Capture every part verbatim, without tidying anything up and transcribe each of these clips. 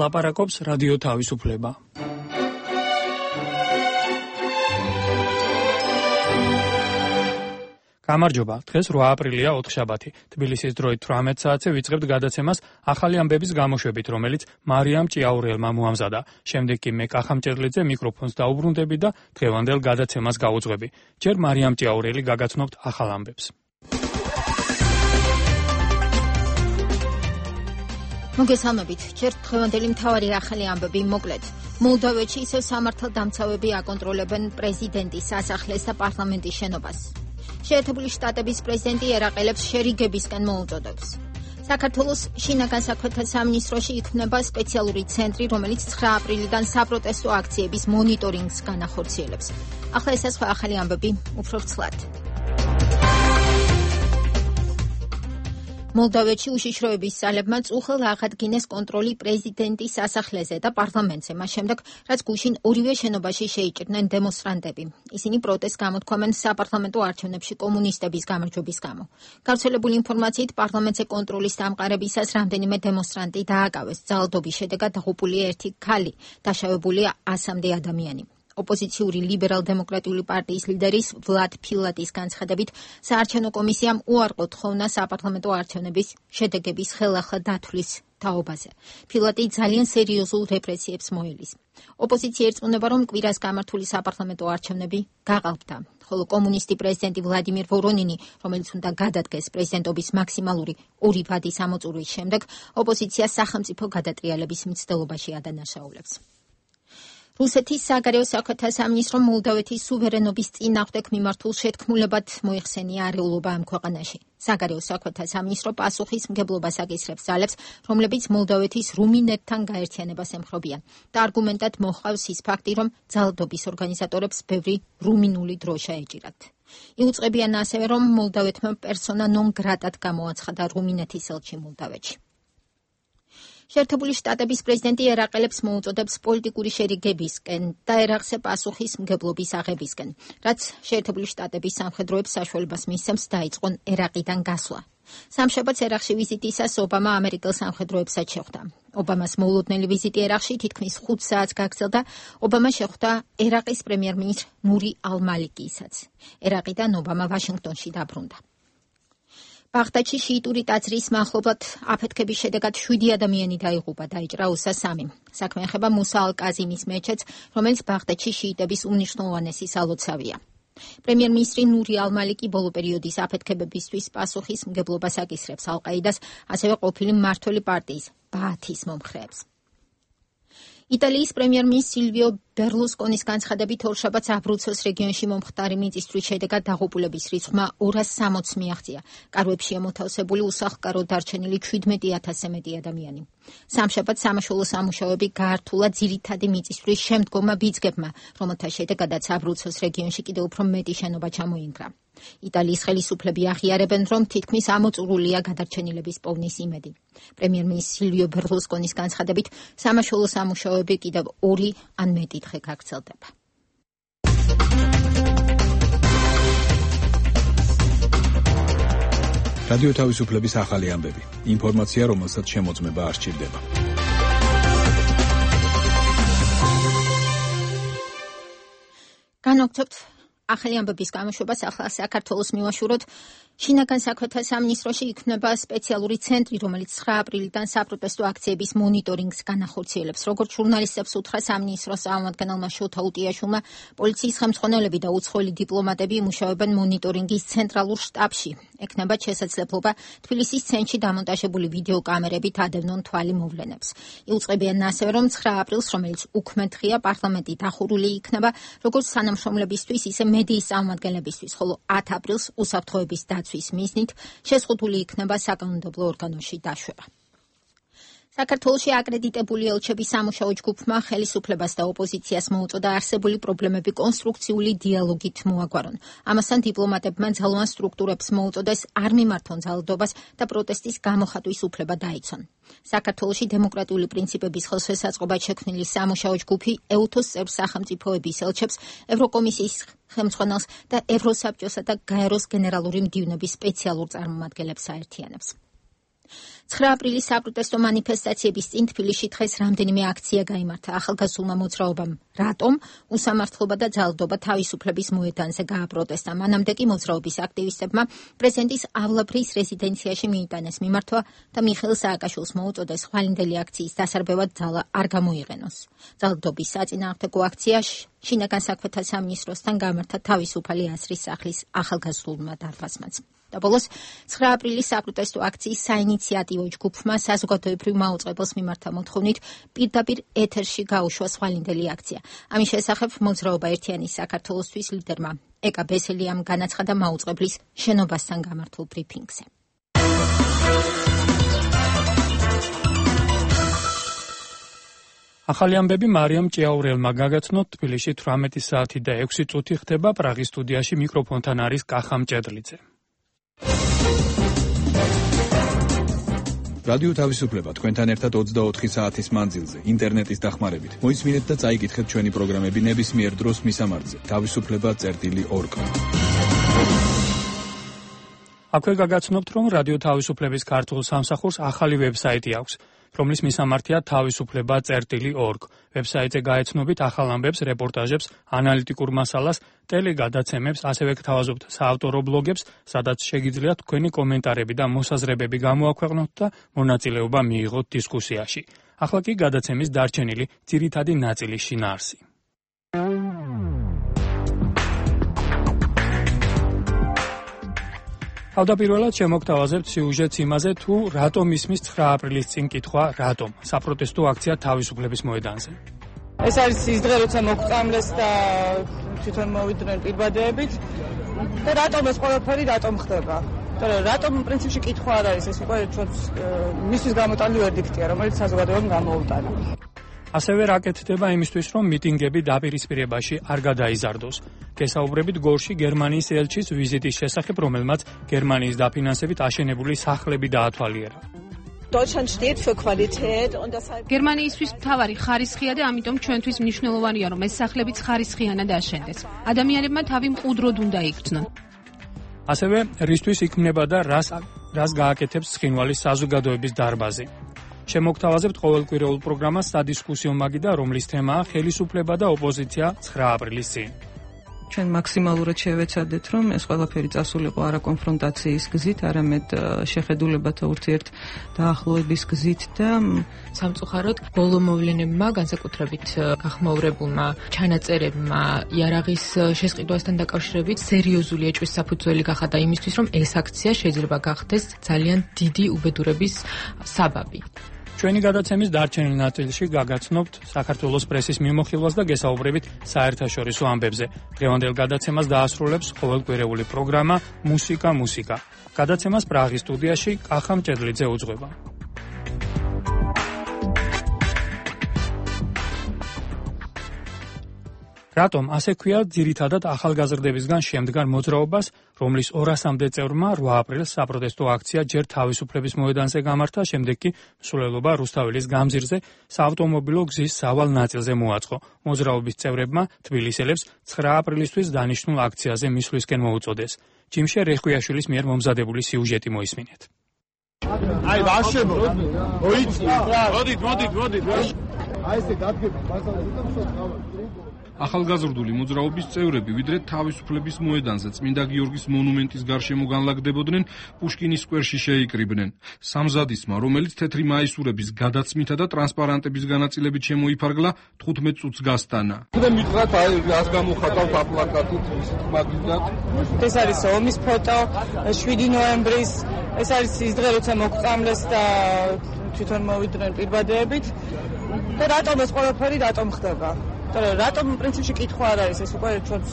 ლაპარაკობს რადიო თავისუფლება. გამარჯობა, დღეს რვა აპრილია ოთხშაბათი. თბილისის დროით თვრამეტ საათზე ვიწყებთ გადაცემას ახალი ამბების გამოშვებით, რომელიც მარიამ ჭიაურელმა მოამზადა. შემდეგ კი მე კახამჭერლიძე მიკროფონს დაუბრუნდები და დღევანდელ გადაცემას გავუძღვები. ჯერ მარიამ ჭიაურელი გაგაცნობთ ახალ ამბებს. მოგესალმებით, ჯერ დღევანდელი მთავარი ახალი ამბები მოკლედ. მოლდოვეთში ისევ სამართალდამცავები აკონტროლებენ პრეზიდენტის სასახლეს და პარლამენტის შენობას. შეერთებული შტატების პრეზიდენტი ერაყელებს შერიგებისკენ მოუწოდებს. საქართველოს შინაგან საქმეთა სამინისტროში იქმნება სპეციალური ცენტრი, რომელიც ცხრა აპრილიდან საპროტესტო აქციების მონიტორინგს განახორციელებს. ახლა ეს სხვა ახალი ამბები უფრო ვრცლად. მოლდოვეთში უშიშროების ძალებმა წუხელ აღადგინეს კონტროლი პრეზიდენტის სასახლეზე და პარლამენტზე, მას შემდეგ, რაც გუშინ ორივე შენობაში შეიჭრნენ დემონსტრანტები. ისინი პროტესტს გამოთქვამენ საპარლამენტო არჩევნებში კომუნისტების გამარჯვების გამო. გავრცელებული ინფორმაციით, პარლამენტზე კონტროლის დამყარებისას რამდენიმე დემონსტრანტი დააკავეს. ძალადობის შედეგად დაღუპულია ერთი ქალი, დაშავებულია ასამდე ადამიანი. ოპოზიციური ლიბერალ-დემოკრატიული პარტიის ლიდერის ვლად ფილატის განცხადებით, საარჩევნო კომისიამ უარყო თხოვნა საპარლამენტო არჩევნების შედეგების ხელახლა დათვლის თაობაზე. ფილატი ძალიან სერიოზულ რეპრესიებს მოელის. ოპოზიცია ერწმუნება, რომ კვირას გამართული საპარლამენტო არჩევნები გაყალბდა, ხოლო კომუნისტი პრეზიდენტი ვლადიმირ ვორონინი, რომელიც უნდა გადადგეს პრეზიდენტობის მაქსიმალური ორი ვადის ამოწურვის შემდეგ, ოპოზიციას სახელმწიფო გადატრიალების მცდელობაში ადანაშაულებს. რუსეთის საგარეო საქმეთა სამინისტრომ მოლდოვეთის სუვერენობის წინააღმდეგ მიმართულ შეთქმულებად მოიხსენია არეულობა ამ ქვეყანაში. საგარეო საქმეთა სამინისტრო პასუხისმგებლობას აკისრებს ძალებს, რომლებიც მოლდოვეთის რუმინეთთან გაერთიანებას ემხრობიან და არგუმენტად მოჰყავს ის ფაქტი, რომ ძალადობის ორგანიზატორებს ბევრი რუმინული დრო შეეჭირათ. იუწყებიან ასევე, რომ მოლდოვეთმა პერსონა ნონ გრატად გამოაცხადა რუმინეთის ელჩი მოლდოვეთში. შეერთებული შტატების პრეზიდენტი ერაყელებს მოუწოდებს პოლიტიკური შერიგებისკენ და ერაყზე პასუხისმგებლობის აღებისკენ, რაც შეერთებული შტატების სამხედროებს საშუალებას მისცემს დაიწყონ ერაყიდან გასვლა. სამშაბათს ერაყში ვიზიტისას ობამა ამერიკელ სამხედროებსაც შეხვდა. ობამას მოულოდნელი ვიზიტი ერაყში თითქმის ხუთ საათს გაგრძელდა. ობამა შეხვდა ერაყის პრემიერ-მინისტრ ნური ალ-მალიკისაც. ერაყიდან ობამა ვაშინგტონში დაბრუნდა. ბაღდადში შიიტური ტაძრის მახლობლად აფეთქების შედეგად შვიდი ადამიანი დაიღუპა, დაიჭრა უსა სამი. საქმე ეხება მუსა ალ-კაზიმის მეჩეთს, რომელიც ბაღდადში შიიტების უმნიშვნელოვანესი სალოცავია. პრემიერ-მინისტრი ნური ალ-მალიკი ბოლო პერიოდის აფეთქებებისთვის პასუხისმგებლობას აკისრებს ალ-ყაიდას, ასევე ყოფილი მმართველი პარტიის ბაათის მომხრეებს. იტალიის პრემიერ-მინისტრი სილვიო ბერლუსკონის განცხადებით, ორშაბათს აბრუცოს რეგიონში მომხდარი მიწისძვრის შედეგად დაღუპულების რიცხვმა ორას სამოცს მიაღწია. კარვებში ემოთავსებული უსახლკაროდ დარჩენილი ჩვიდმეტი ათასზე მეტი ადამიანი. სამშაბათს სამაშველო სამუშაოები გაართულა ძირითადი მიწისძვრის შემდგომმა ბიძგებმა, რომელთა შედეგადაც აბრუცოს რეგიონში კიდევ უფრო მეტი შენობა ჩამოინგრა. იტალიის ხელისუფლები აღიარებენ, რომ თითქმის ამოწურულია გადარჩენილების პოვნის იმედი. პრემიერ-მინისტრი სილვიო ბერლუსკონის განცხადებით, სამაშველო სამუშაოები კიდევ ორი ან მეტი დღე გაგრძელდება. რადიო თავისუფლების ახალი ამბები. ინფორმაცია, რომელსაც შემოწმება არ სჭირდება. განვაგრძობთ ახალი ამბების გამოშვებას. ახლა საქართველოს მივაშუროთ. შინაგან საქმეთა სამინისტროში იქმნება სპეციალური ცენტრი, რომელიც ცხრა აპრილიდან საპროტესტო აქციების მონიტორინგს განახორციელებს. როგორც ჟურნალისტებს უთხრა სამინისტროს წარმომადგენელმა შოთა უტიაშვილმა, პოლიციის ხელმძღვანელები და უცხოელი დიპლომატები იმუშავებენ მონიტორინგის ცენტრალურ შტაბში. ექნებათ შესაძლებლობა თბილისის ცენტრში დამონტაჟებული ვიდეო კამერებით ადევნონ თვალი მოვლენებს. იუწყებიან ასევე, რომ ცხრა აპრილს, რომელიც უქმედ დღეა, პარლამენტი დახურული იქნება როგორც თანამშრომლებისთვის, ისე მედიის წარმომადგენლებისთვის, ხოლო ათ აპრილს უსაფრთხოების დაცვის მიზნით შეზღუდული იქნება საკანონმდებლო ორგანოში დაშვება. საქართველოში აკრედიტებული ელჩების სამუშაო ჯგუფმა ხელისუფლებას და ოპოზიციას მოუწოდა არსებული პრობლემები კონსტრუქციული დიალოგით მოაგვარონ. ამასთან დიპლომატებმა ძალოვან სტრუქტურებს მოუწოდეს არ მიმართონ ძალადობას და პროტესტის გამოხატვის უფლება დაიცვან. საქართველოში დემოკრატიული პრინციპების ხელშესაწყობად შექმნილი სამუშაო ჯგუფი ეუთოს წევრ სახელმწიფოების ელჩებს, ევროკომისიის ხელმძღვანელს და ევროსაბჭოსა და გაეროს გენერალური მდივნების სპეციალურ წარმომადგენლებს აერთიანებს. ცხრა აპრილის საპროტესტო მანიფესტაციების წინ თბილისში დღეს რამდენიმე აქცია გაიმართა. ახალგაზრდულმა მოძრაობამ რატომ უსამართლობა და ძალადობა თავისუფლების მოედანზე გააპროტესტა. მანამდე კი მოძრაობის აქტივისტებმა პრეზიდენტის ავლაბრის რეზიდენციაში მიიტანეს მიმართვა და მიხეილ სააკაშვილს მოუწოდეს ხვალინდელი აქციის დასარბევად ძალა არ გამოიყენოს. ძალადობის საწინააღმდეგო აქცია შინაგან საქმეთა სამინისტროსთან გამართა თავისუფალი აზრის სახლის ახალგაზრდულმა დარბაზმაც. და ბოლოს ცხრა აპრილის საპროტესტო აქციის საინიციატივო ჯგუფმა საზოგადოებრივ მაუწყებელს მიმართა მოთხოვნით პირდაპირ ეთერში გაუშვა ხვალინდელი აქცია. ამის შესახებ მოძრაობა ერთიანი საქართველოსთვის ლიდერმა ეკა ბესელიამ განაცხადა მაუწყებლის შენობასთან გამართულ ბრიფინგზე. ახალი ამბები მარიამ ჭიაურელმა გაგაცნოთ. თბილისში თვრამეტი საათი და ექვსი წუთი ხდება. პრაღის სტუდიაში მიკროფონთან არის კახა მჭედლიძე. რადიო თავისუფლება თქვენთან ერთად ოცდაოთხი საათის მანძილზე ინტერნეტის დახმარებით. მოისმინეთ და წაიკითხეთ ჩვენი პროგრამები ნებისმიერ დროს მისამართზე თავისუფლება წერტილი ორგ. აქვე გაგაცნობთ, რომ რადიო თავისუფლების ქართულ სამსახურს ახალი ვებსაიტი აქვს, რომლის მისამართია თავისუფლება წერტილი ორგ. ვებსაიტზე გაეცნობით ახალ ამბებს, რეპორტაჟებს, ანალიტიკურ მასალას, ტელეგადაცემებს, ასევე გთავაზობთ საავტორო ბლოგებს, სადაც შეგიძლიათ თქვენი კომენტარები და მოსაზრებები გამოაქვეყნოთ და მონაწილეობა მიიღოთ დისკუსიაში. ახლა კი გადაცემის დარჩენილი ძირითადი ნაწილის შინაარსი. თავდაპირველად შემოგთავაზებთ სიუჟეტს იმაზე, თუ რატომ ისმის ცხრა აპრილის წინ კითხვა, რატომ საპროტესტო აქცია თავისუფლების მოედანზე. ეს არის ის დღე, როცა მოგვწამლეს და თვითონ მოვიდნენ პირბადეებით და რატომ ეს ყველაფერი რატომ ხდება? რატომ პრინციპში კითხვა არ არის, ეს უკვე ჩვენს მისთვის გამოტანილი ვერდიქტია, რომელიც საზოგადოებამ გამოუტანა. ასევე რა კეთდება იმისთვის, რომ მიტინგები დაპირისპირებაში არ გადაიზარდოს. გესაუბრებით გორში გერმანიის ელჩის ვიზიტის შესახებ, რომელმაც გერმანიის დაფინანსებით აშენებული სახლები დაათვალიერა. გერმანიისთვის მთავარი ხარისხია და ამიტომ ჩვენთვის მნიშვნელოვანია, რომ ეს სახლებიც ხარისხიანად აშენდეს. ადამიანებმა თავი მყუდროდ უნდა იგრძნონ. ასევე რისთვის იქმნება და რას რას გააკეთებს ცხინვალის საზოგადოების დარბაზი. შემოგთავაზებთ ყოველკვირეულ პროგრამას სადისკუსიო მაგიდა, რომლის თემაა ხელისუფლება და ოპოზიცია ცხრა აპრილის წინ. ჩვენ მაქსიმალურად შევეცადეთ, რომ ეს ყველაფერი წასულიყო არა კონფრონტაციის გზით, არამედ შეხედულებათა ურთიერთ დაახლოების გზით და სამწუხაროდ ბოლო მოვლენებმა, განსაკუთრებით გახმაურებულმა ჩანაწერებმა იარაღის შესყიდვასთან დაკავშირებით სერიოზული ეჭვის საფუძველი გახადა იმისთვის, რომ ეს აქცია შეიძლება გახდეს ძალიან დიდი უბედურების საბაბი. ჩვენი გადაცემის დარჩენილ ნაწილში გაგაცნობთ საქართველოს პრესის მიმოხილვას და გესაუბრებით საერთაშორისო ამბებზე. დღევანდელ გადაცემას დაასრულებს ყოველკვირეული პროგრამა მუსიკა მუსიკა. გადაცემას პრაღის სტუდიაში კახა მჭედლიძე უძღვება. რატომ ასე ქვია ძირითადად ახალგაზრდებისგან შემდგარ მოძრაობას, რომლის ორასამდე წევრმა რვა აპრილს საპროტესტო აქცია ჯერ თავისუფლების მოედანზე გამართა, შემდეგ კი მსვლელობა რუსთაველის გამზირზე საავტომობილო გზის სავალ ნაწილზე მოაწყო. მოძრაობის წევრებმა თბილისელებს ცხრა აპრილისთვის დანიშნულ აქციაზე მისვლისკენ მოუწოდეს. ჯიმშე რეხვიაშვილის მიერ მომზადებული სიუჟეტი მოისმინეთ. აი, ვაშებო. მოიწი. მოდით, მოდით, მოდით. აი ესე დადგება მასალაზე და მსოფლმავად. ახალგაზრდული მოძრაობის წევრები ვიდრე თავისუფლების მოედანზე წმინდა გიორგის მონუმენტის გარშემო განლაგდებოდნენ, პუშკინის სკვერში შეიკრიბნენ. სამზადისმა, რომელიც თეთრი მაისურების გადაცმითა და ტრანსპარანტების განაწილებით შემოიფარგლა, თხუთმეტ წუთს გასტანა. და მითხრათ, აი, რას გამოხატავთ აპლაკატით, ისეთ მაგიდად. ეს არის ომის ფოტო, შვიდი ნოემბრის, ეს არის ის დღე, როცა მოგვწამლეს და თვითონ მოვიდნენ პირბადეებით და რატომ ეს ყველაფერი რატომ ხდება? რატომ პრინციპში კითხვა არ არის, ეს უკვე ჩვენს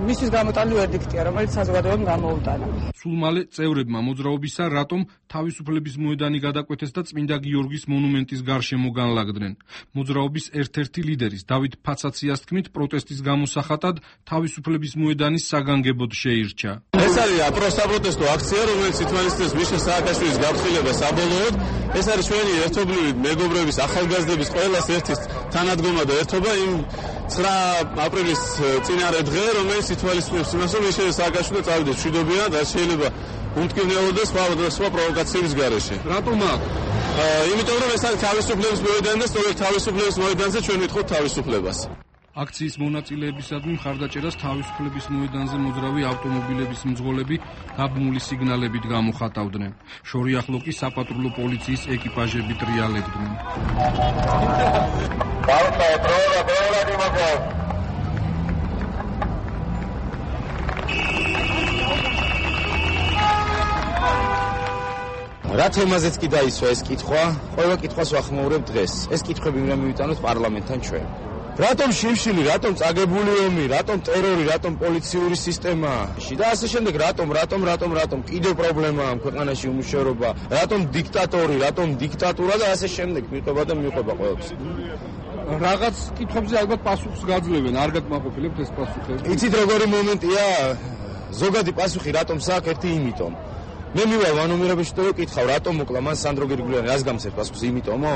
მისთვის გამოტანილი ვერდიქტია, რომელიც საზოგადოებამ გამოუტანა. სულ მალე წევრებმა მოძრაობისა რატომ თავისუფლების მოედანი გადაკვეთეს და წმინდა გიორგის მონუმენტის გარშემო განლაგდნენ. მოძრაობის ერთ-ერთი ლიდერის დავით ფაცაციას თქმით, პროტესტის გამოსახატად თავისუფლების მოედანის საგანგებოდ შეირჩა. ეს არის პროსაპროტესტო აქცია, რომელიც ითვალისწინებს მიშა სააკაშვილის გაფრთხილებას საბოლოოდ. ეს არის ჩვენი ერთობლივი მეგობრების, ახალგაზრდების ყველას ერთის თანადგომა და ერთობა იმ ცხრა აპრილის წინარე დღე, რომელიც ითვალისწინებს იმას, რომ მიშა სააკაშვილი წავიდეს მშვიდობიანად, რაც შეიძლება უმტკივნეულო და სხვა სხვა პროვოკაციების გარეშე. რატომ აქ? იმიტომ რომ ეს არის თავისუფლების მოედანი და სწორედ თავისუფლების მოედანზე ჩვენ ვიტყოთ თავისუფლებას. აქციის მონაწილეებისადმი მხარდაჭერას თავისუფლების მოედანზე მოძრავი ავტომობილების მძღოლები გაბმული სიგნალებით გამოხატავდნენ. შორიახლო კი საპატრულო პოლიციის ეკიპაჟები ტრიალებდნენ. რა თემაზეც კი დაისვა ეს კითხვა, ყველა კითხვას ვახმაურებ დღეს. ეს კითხვები უნდა მივიტანოთ პარლამენტთან ჩვენ. რატომ შიმშილი, რატომ წაგებული ომი, რატომ ტერორი, რატომ პოლიციური სისტემა და ასე შემდეგ, რატომ, რატომ, რატომ, რატომ კიდევ პრობლემაა ამ ქვეყანაში უმუშევრობა, რატომ დიქტატორი, რატომ დიქტატურა და ასე შემდეგ მიყვება და მიყვება ყველაფერს. რაღაც კითხვებზე ალბათ პასუხს გაძლევენ, არ გაკმაყოფილებთ ეს პასუხები. იცით როგორი მომენტია, ზოგადი პასუხი რატომ საქმე ერთი იმიტომ. მე მივალ ვანომირებაში და ვკითხავ, რატომ მოკლა მან სანდრო გირგულიანი, რას გამცეთ პასუხს, იმიტომო?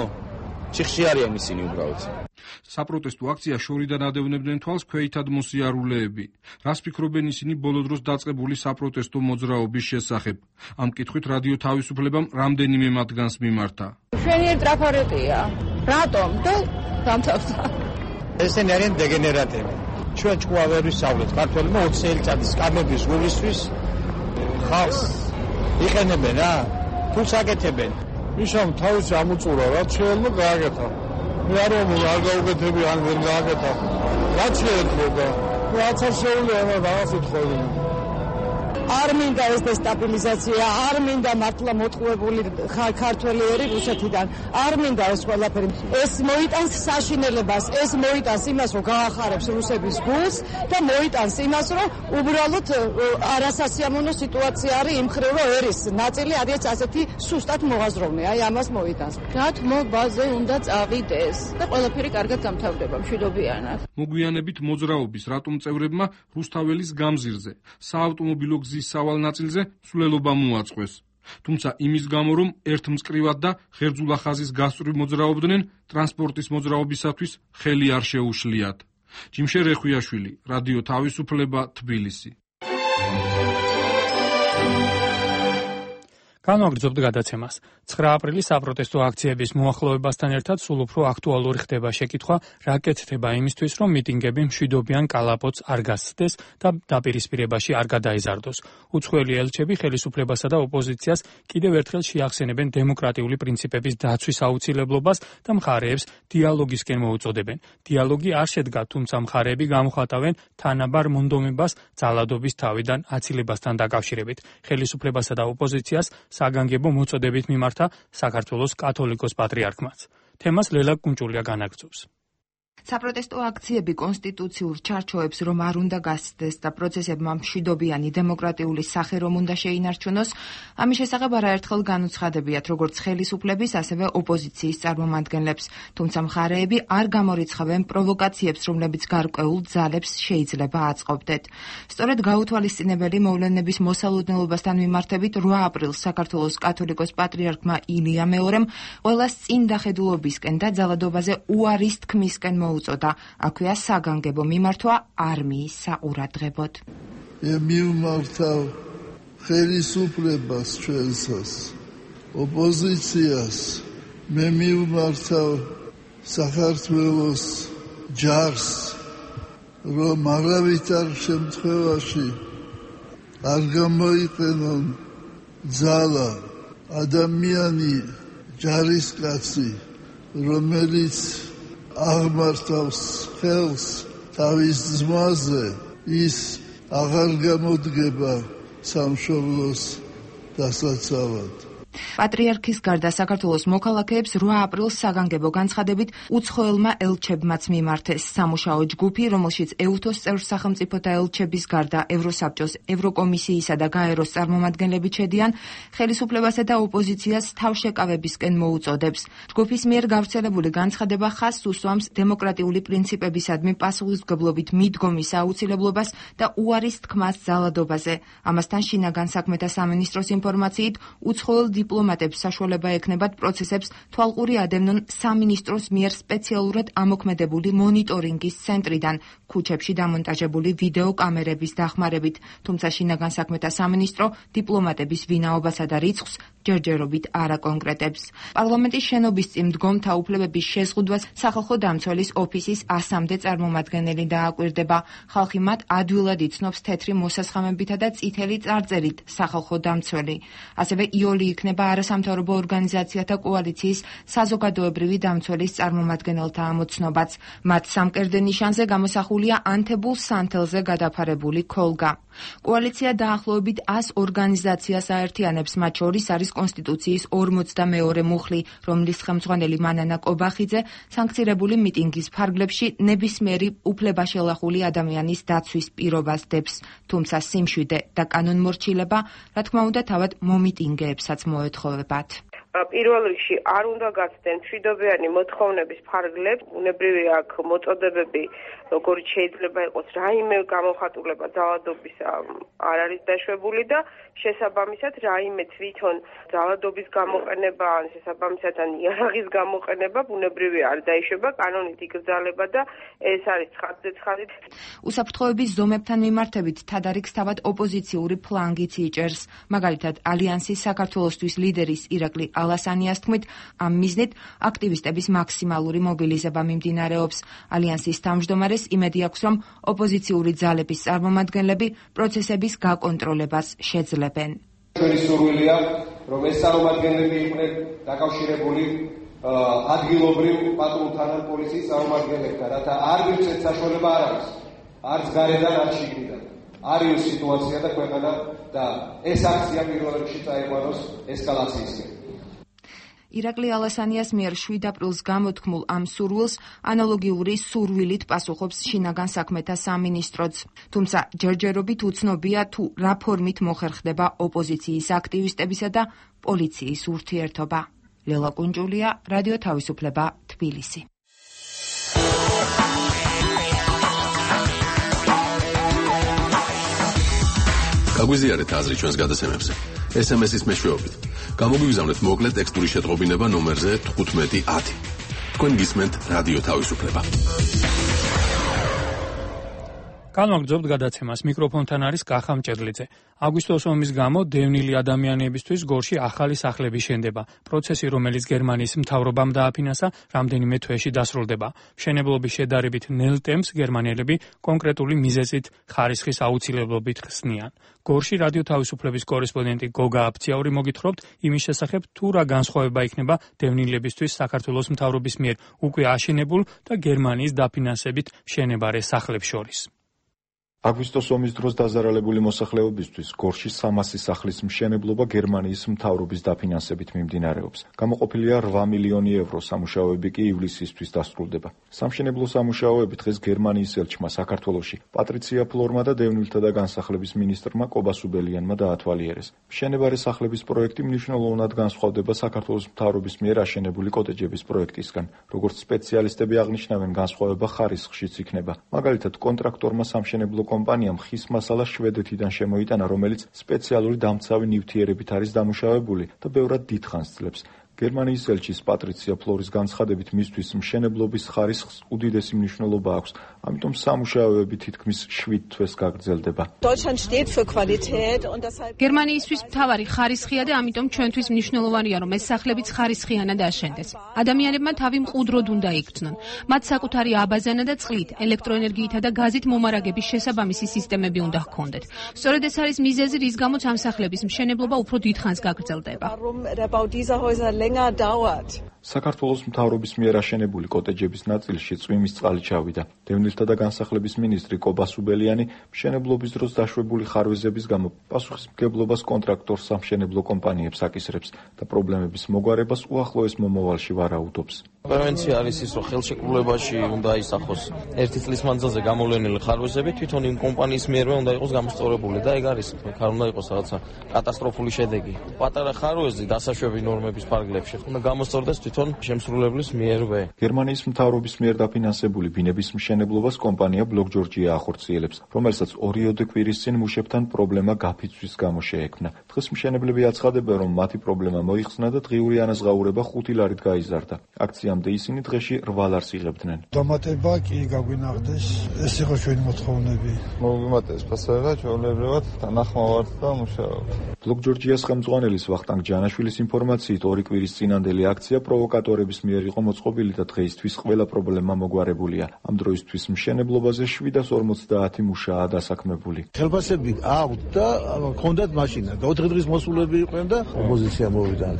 ჩიხში არიან ისინი უბრალოდ. საპროტესტო აქცია შორიდან ადევნებდნენ თვალს ქვეითად მოსიარულეები. რას ფიქრობენ ისინი ბოლო დროს დაწყებული საპროტესტო მოძრაობის შესახებ? ამ კითხვით რადიო თავისუფლებამ რამდენიმე მათგანს მიმართა. ჩვენი ტრაფარეტია. რატომ? და დამთავრდა. ესენი არიან დეგენერატები. ჩვენ ჭკუა ვერ ვისწავლეთ ქართველებმა ოცი წელიწადის სკამების გულისთვის ხალხს იყენებენ რა? თუ საკეთებენ. ისამ თავისი ამოწურა, რაც შეიძლება გააკეთა. მე არ ვამბობ, არ გაუკეთები, ან ვერ გააკეთა. რაც შეიძლება. რაც არ შეუძლია, რაღაც უთხოვენ. არ მინდა ეს დესტაბილიზაცია, არ მინდა მართლა მოტყუებული ქართველი ერი რუსეთიდან. არ მინდა ეს ყველაფერი. ეს მოიტანს საშინელებას, ეს მოიტანს იმას, რომ გაახარებს რუსების გულს და მოიტანს იმას, რომ უბრალოდ არასასიამოვნო სიტუაცია არის იმ მხრივ, რომ ერის ნაწილი არის ასეთი სუსტად მოღაზროვნე. აი ამას მოიტანს. გათმობაზე უნდა წავიდეს და ყველაფერი კარგად გამთავრდება მშვიდობიანად. მოგვიანებით მოძრაობის რატომ წევრებმა რუსთაველის გამზირზე, საავტომობილო გზის სავალ ნაწილზე სულელობა მოაწყვეს. თუმცა იმის გამო, რომ ერთ მწკრივად და ღერძულა ხაზის გასწვრივ მოძრაობდნენ, ტრანსპორტის მოძრაობისათვის ხელი არ შეუშლიათ. ჯიმშე რეხვიაშვილი, რადიო თავისუფლება, თბილისი. განვაგრძობთ გადაცემას. ცხრა აპრილის საპროტესტო აქციების მოახლოებასთან ერთად სულ უფრო აქტუალური ხდება შეკითხვა, რა კეთდება იმისთვის, რომ მიტინგები მშვიდობიან კალაპოტს არ გასცდეს და დაპირისპირებაში არ გადაიზარდოს. უცხოელი ელჩები ხელისუფლებასა და ოპოზიციას კიდევ ერთხელ შეახსენებენ დემოკრატიული პრინციპების დაცვის აუცილებლობას და მხარეებს დიალოგისკენ მოუწოდებენ. დიალოგი არ შედგა, თუმცა მხარეები გამოხატავენ თანაბარ მონდომებას ძალადობის თავიდან აცილებასთან დაკავშირებით. ხელისუფლებასა და ოპოზიციას საგანგებო მოწოდებით მიმართა საქართველოს კათოლიკოს პატრიარქმაც. თემას ლელა კუნჭულია განაგრძობს. საპროტესტო აქციები კონსტიტუციურ ჩარჩოებს რომ არ უნდა გასცდეს და პროცესებმა მშვიდობიანი დემოკრატიული სახე რომ უნდა შეინარჩუნოს, ამის შესახებ არაერთხელ განუცხადებიათ როგორც ხელისუფლების, ასევე ოპოზიციის წარმომადგენლებს, თუმცა მხარეები არ გამორიცხავენ პროვოკაციებს, რომლებიც გარკვეულ ძალებს შეიძლება აწყობდეთ. სწორედ გაუთვალისწინებელი მოვლენების მოსალოდნელობასთან მიმართებით რვა აპრილს საქართველოს კათოლიკოს პატრიარქმა ილია მეორემ ყველას წინ დახედულობისკენ და ძალადობაზე უარის თქმისკენ უწოდა, აქვეა საგანგებო მიმართვა არმიის საყურადღებოდ. მივმართავ ხელისუფლებას ჩვენსას, ოპოზიციას, მე მივმართავ საქართველოს ჯარს, რომ არავითარ შემთხვევაში არ გამოიყენონ ძალა ადამიანი ჯარისკაცი, რომელიც აღმართავს ხელს თავის ძმაზე, ის აღარ გამოდგება სამშობლოს დასაცავად. პატრიარქის გარდა საქართველოს მოქალაქეებს რვა აპრილს საგანგებო განცხადებით უცხოელმა ელჩებმაც მიმართეს სამუშაო ჯგუფი, რომელშიც ეუთოს წევრ სახელმწიფოთა ელჩების გარდა ევროსაბჭოს, ევროკომისიისა და გაეროს წარმომადგენლები ჩედიან, ხელისუფლებასა და ოპოზიციას თავშეკავებისკენ მოუწოდებს. ჯგუფის მიერ გავრცელებული განცხადება ხაზს უსვამს დემოკრატიული პრინციპებისადმი პასუხისმგებლობით მიდგომის აუცილებლობას და უარის თქმას ძალადობაზე. ამასთან შინაგან საქმეთა სამინისტროს ინფორმაციით უცხოელ დიპლომატებს საშუალება ექნებათ პროცესებს თვალყური ადევნონ სამინისტროს მიერ სპეციალურად ამოქმედებული მონიტორინგის ცენტრიდან ქუჩებში დამონტაჟებული ვიდეო კამერების დახმარებით, თუმცა შინაგან საქმეთა სამინისტრო დიპლომატების ვინაობასა და რიცხვს ჯერჯერობით არ აკონკრეტებს. პარლამენტის შენობის წინ მდგომთა უფლებების შეზღუდვას სახალხო დამცველის ოფისის ასამდე წარმომადგენელი დააკვირდება. ხალხი მათ ადვილად იცნობს თეთრი მოსასხამებითა და წითელი წარწერით სახალხო დამცველი. ასევე იოლი იქნება არასამთავრობო ორგანიზაციათა კოალიციის საზოგადოებრივი დამცველის წარმომადგენელთა ამოცნობაც. მათ სამკერდე ნიშანზე გამოსახულია ანთებულ სანთელზე გადაფარებული ქოლგა. კოალიცია დაახლოებით ას ორგანიზაციას აერთიანებს, მათ შორის არის კონსტიტუციის ორმოცდამეორე მუხლი, რომლის ხელმძღვანელი მანანა კობახიძე სანქცირებული მიტინგის ფარგლებში ნებისმიერი უფლებაშელახული ადამიანის დაცვის პირობას დებს, თუმცა სიმშვიდე და კანონმორჩილება, რა თქმა უნდა, თავად მომიტინგეებსაც მოეთხოვებათ. პირველ რიგში არ უნდა გაცდენ მშვიდობიანი მოთხოვნების ფარგლებს, უნებრივია აქ მოწოდებები, როგორც შეიძლება იყოს რაიმე გამოხატულება ძალადობის არ არის დაშვებული და შესაბამისად რაიმე თვითონ ძალადობის გამოყენება, ან შესაბამისად ან იარაღის გამოყენება ბუნებრივია არ დაიშვება, კანონით იკრძალება და ეს არის ცხადზე ცხადი. უსაფრთხოების ზომებთან მიმართებით თადარიგს თავად ოპოზიციური ფლანგიც იჭერს. მაგალითად, ალიანსის საქართველოსთვის ლიდერის ირაკლი ალასანიას თქმით, ამ მიზნით აქტივისტების მაქსიმალური მობილიზება მიმდინარეობს. ალიანსის თავმჯდომარეს იმედი აქვს, რომ ოპოზიციური ძალების წარმომადგენლები პროცესების გაკონტროლებას შეძლებენ. ჩვენი სურვილია, რომ ეს წარმომადგენლები იყვნენ დაკავშირებული ადგილობრივ პატრულთან ან პოლიციის წარმომადგენლებთან, რათა არ მივცეთ საშუალება არ არის, არც გარედან, არც შიგნიდან. არის სიტუაცია და ქვეყანა და ეს აქცია პირველ რიგში წაიყვანოს ესკალაციისკენ. ირაკლი ალასანიას მიერ შვიდ აპრილს გამოთქმულ ამ სურვილს ანალოგიური სურვილით პასუხობს შინაგან საქმეთა სამინისტროც. თუმცა ჯერჯერობით უცნობია თუ რა ფორმით მოხერხდება ოპოზიციის აქტივისტებისა და პოლიციის ურთიერთობა. ლელა კუნჯულია, რადიო თავისუფლება, თბილისი. გაგვიზიარეთ აზრი ჩვენს გადაცემებზე. ეს ემ ეს-ის მეშვეობით. გამოგვიგზავნეთ მოკლე ტექსტური შეტყობინება ნომერზე თხუთმეტი ათი. თქვენ გისმენთ რადიო თავისუფლება. განვაგრძობთ გადაცემას. მიკროფონთან არის კახა მჭედლიძე. აგვისტოს ომის გამო დევნილი ადამიანებისთვის გორში ახალი სახლები შენდება. პროცესი, რომელიც გერმანიის მთავრობამ დააფინანსა, რამდენიმე თვეში დასრულდება. მშენებლობის შედარებით ნელ ტემპს გერმანელები კონკრეტული მიზეზით ხარისხის აუცილებლობით ხსნიან. გორში რადიო თავისუფლების კორესპონდენტი გოგა აფციაური მოგითხრობთ იმის შესახებ, თუ რა განსხვავება იქნება დევნილებისთვის საქართველოს მთავრობის მიერ უკვე აშენებულ და გერმანიის დაფინანსებით მშენებარე სახლებს შორის. აგვისტოს ომის დროს დაზარალებული მოსახლეობისთვის გორში სამასი სახლის მშენებლობა გერმანიის მთავრობის დაფინანსებით მიმდინარეობს. გამოყოფილია რვა მილიონი ევრო, სამუშაოები კი ივლისისთვის დასრულდება. სამშენებლო სამუშაოები დღეს გერმანიის ელჩმა საქართველოში პატრიცია ფლორმა და დევნილთა და განსახლების მინისტრმა კობა სუბელიანმა დაათვალიერეს. მშენებარე სახლების პროექტი მნიშვნელოვნად განსხვავდება საქართველოს მთავრობის მიერ აშენებული კოტეჯების პროექტისგან. როგორც სპეციალისტები აღნიშნავენ, განსხვავება ხარისხშიც იქნება. მაგალითად, კონტრაქტორმა სამშენებლო კომპანიამ ხის მასალა შვედეთიდან შემოიტანა, რომელიც სპეციალური დამცავი ნივთიერებით არის დამუშავებული და ბევრად დიდხანს ძლებს. გერმანიის ელჩის პატრიცია ფლორის განცხადებით, მისთვის მშენებლობის ხარისხს უდიდესი მნიშვნელობა აქვს, ამიტომ სამუშაოები თითქმის შვიდ თვეს გაგრძელდება. გერმანიისთვის მთავარი ხარისხია და ამიტომ ჩვენთვის მნიშვნელოვანია, რომ ეს სახლებიც ხარისხიანად აშენდეს. ადამიანებმა თავი მყუდროდ უნდა იგრძნონ. მათ საკუთარი აბაზანა და წყლით, ელექტროენერგიითა და გაზით მომარაგების შესაბამისი სისტემები უნდა ჰქონდეთ. სწორედ ეს არის მიზეზი, რის გამოც ამ სახლების მშენებლობა უფრო დიდხანს გაგრძელდება. საქართველოს მთავრობის მიერ აშენებული კოტეჯების ნაწილში წვიმის წყალი ჩავიდა. დევნილთა და განსახლების მინისტრი კობა სუბელიანი მშენებლობის დროს დაშვებული ხარვეზების გამო პასუხისმგებლობას კონტრაქტორ სამშენებლო კომპანიებს აკისრებს და პრობლემების მოგვარებას უახლოეს მომავალში ვარაუდობს. პრევენცია არის ის, რომ ხელშეკრულებაში უნდა ისახოს ერთი წლის მანძილზე გამოვლენილი ხარვეზები თვითონ იმ კომპანიის მიერვე უნდა იყოს გამოსწორებული და ეგ არის, ხარ უნდა იყოს რაღაცა კატასტროფული შედეგი. პატარა ხარვეზი დასაშვები ნორმების ფარგლებში უნდა გამოსწორდეს თვითონ თვითონ შემსრულებლის მიერვე. გერმანიის მთავრობის მიერ დაფინანსებული ბინების მშენებლობას კომპანია ბლოკ ჯორჯია ახორციელებს, რომელსაც ორიოდე კვირის წინ მუშებთან პრობლემა გაფიცვის გამო შეექმნა. დღეს მშენებლები აცხადებენ, რომ მათი პრობლემა მოიხსნა და დღიური ანაზღაურება ხუთი ლარით გაიზარდა. აქციამდე ისინი დღეში რვა ლარს იღებდნენ. დამატება კი გაგვინახდეს, ეს იყო ჩვენი მოთხოვნები. მოგიმატეს ფასება ჩვეულებრივად თანახმოვართ და მუშაობთ. ბლოკ ჯორჯიას ხელმძღვანელის ვახტანგ ჯანაშვილის ინფორმაციით ორი კვირის წინანდელი აქცია პროვოკატორების მიერ იყო მოწყობილი და დღეისთვის ყველა პრობლემა მოგვარებულია. ამ დროისთვის მშენებლობაზე შვიდას ორმოცდაათი მუშაა დასაქმებული. ხელფასები აქვთ და ჰქონდათ მაშინა. ოთხი დღის მოსულები იყვნენ და ოპოზიცია მოვიდა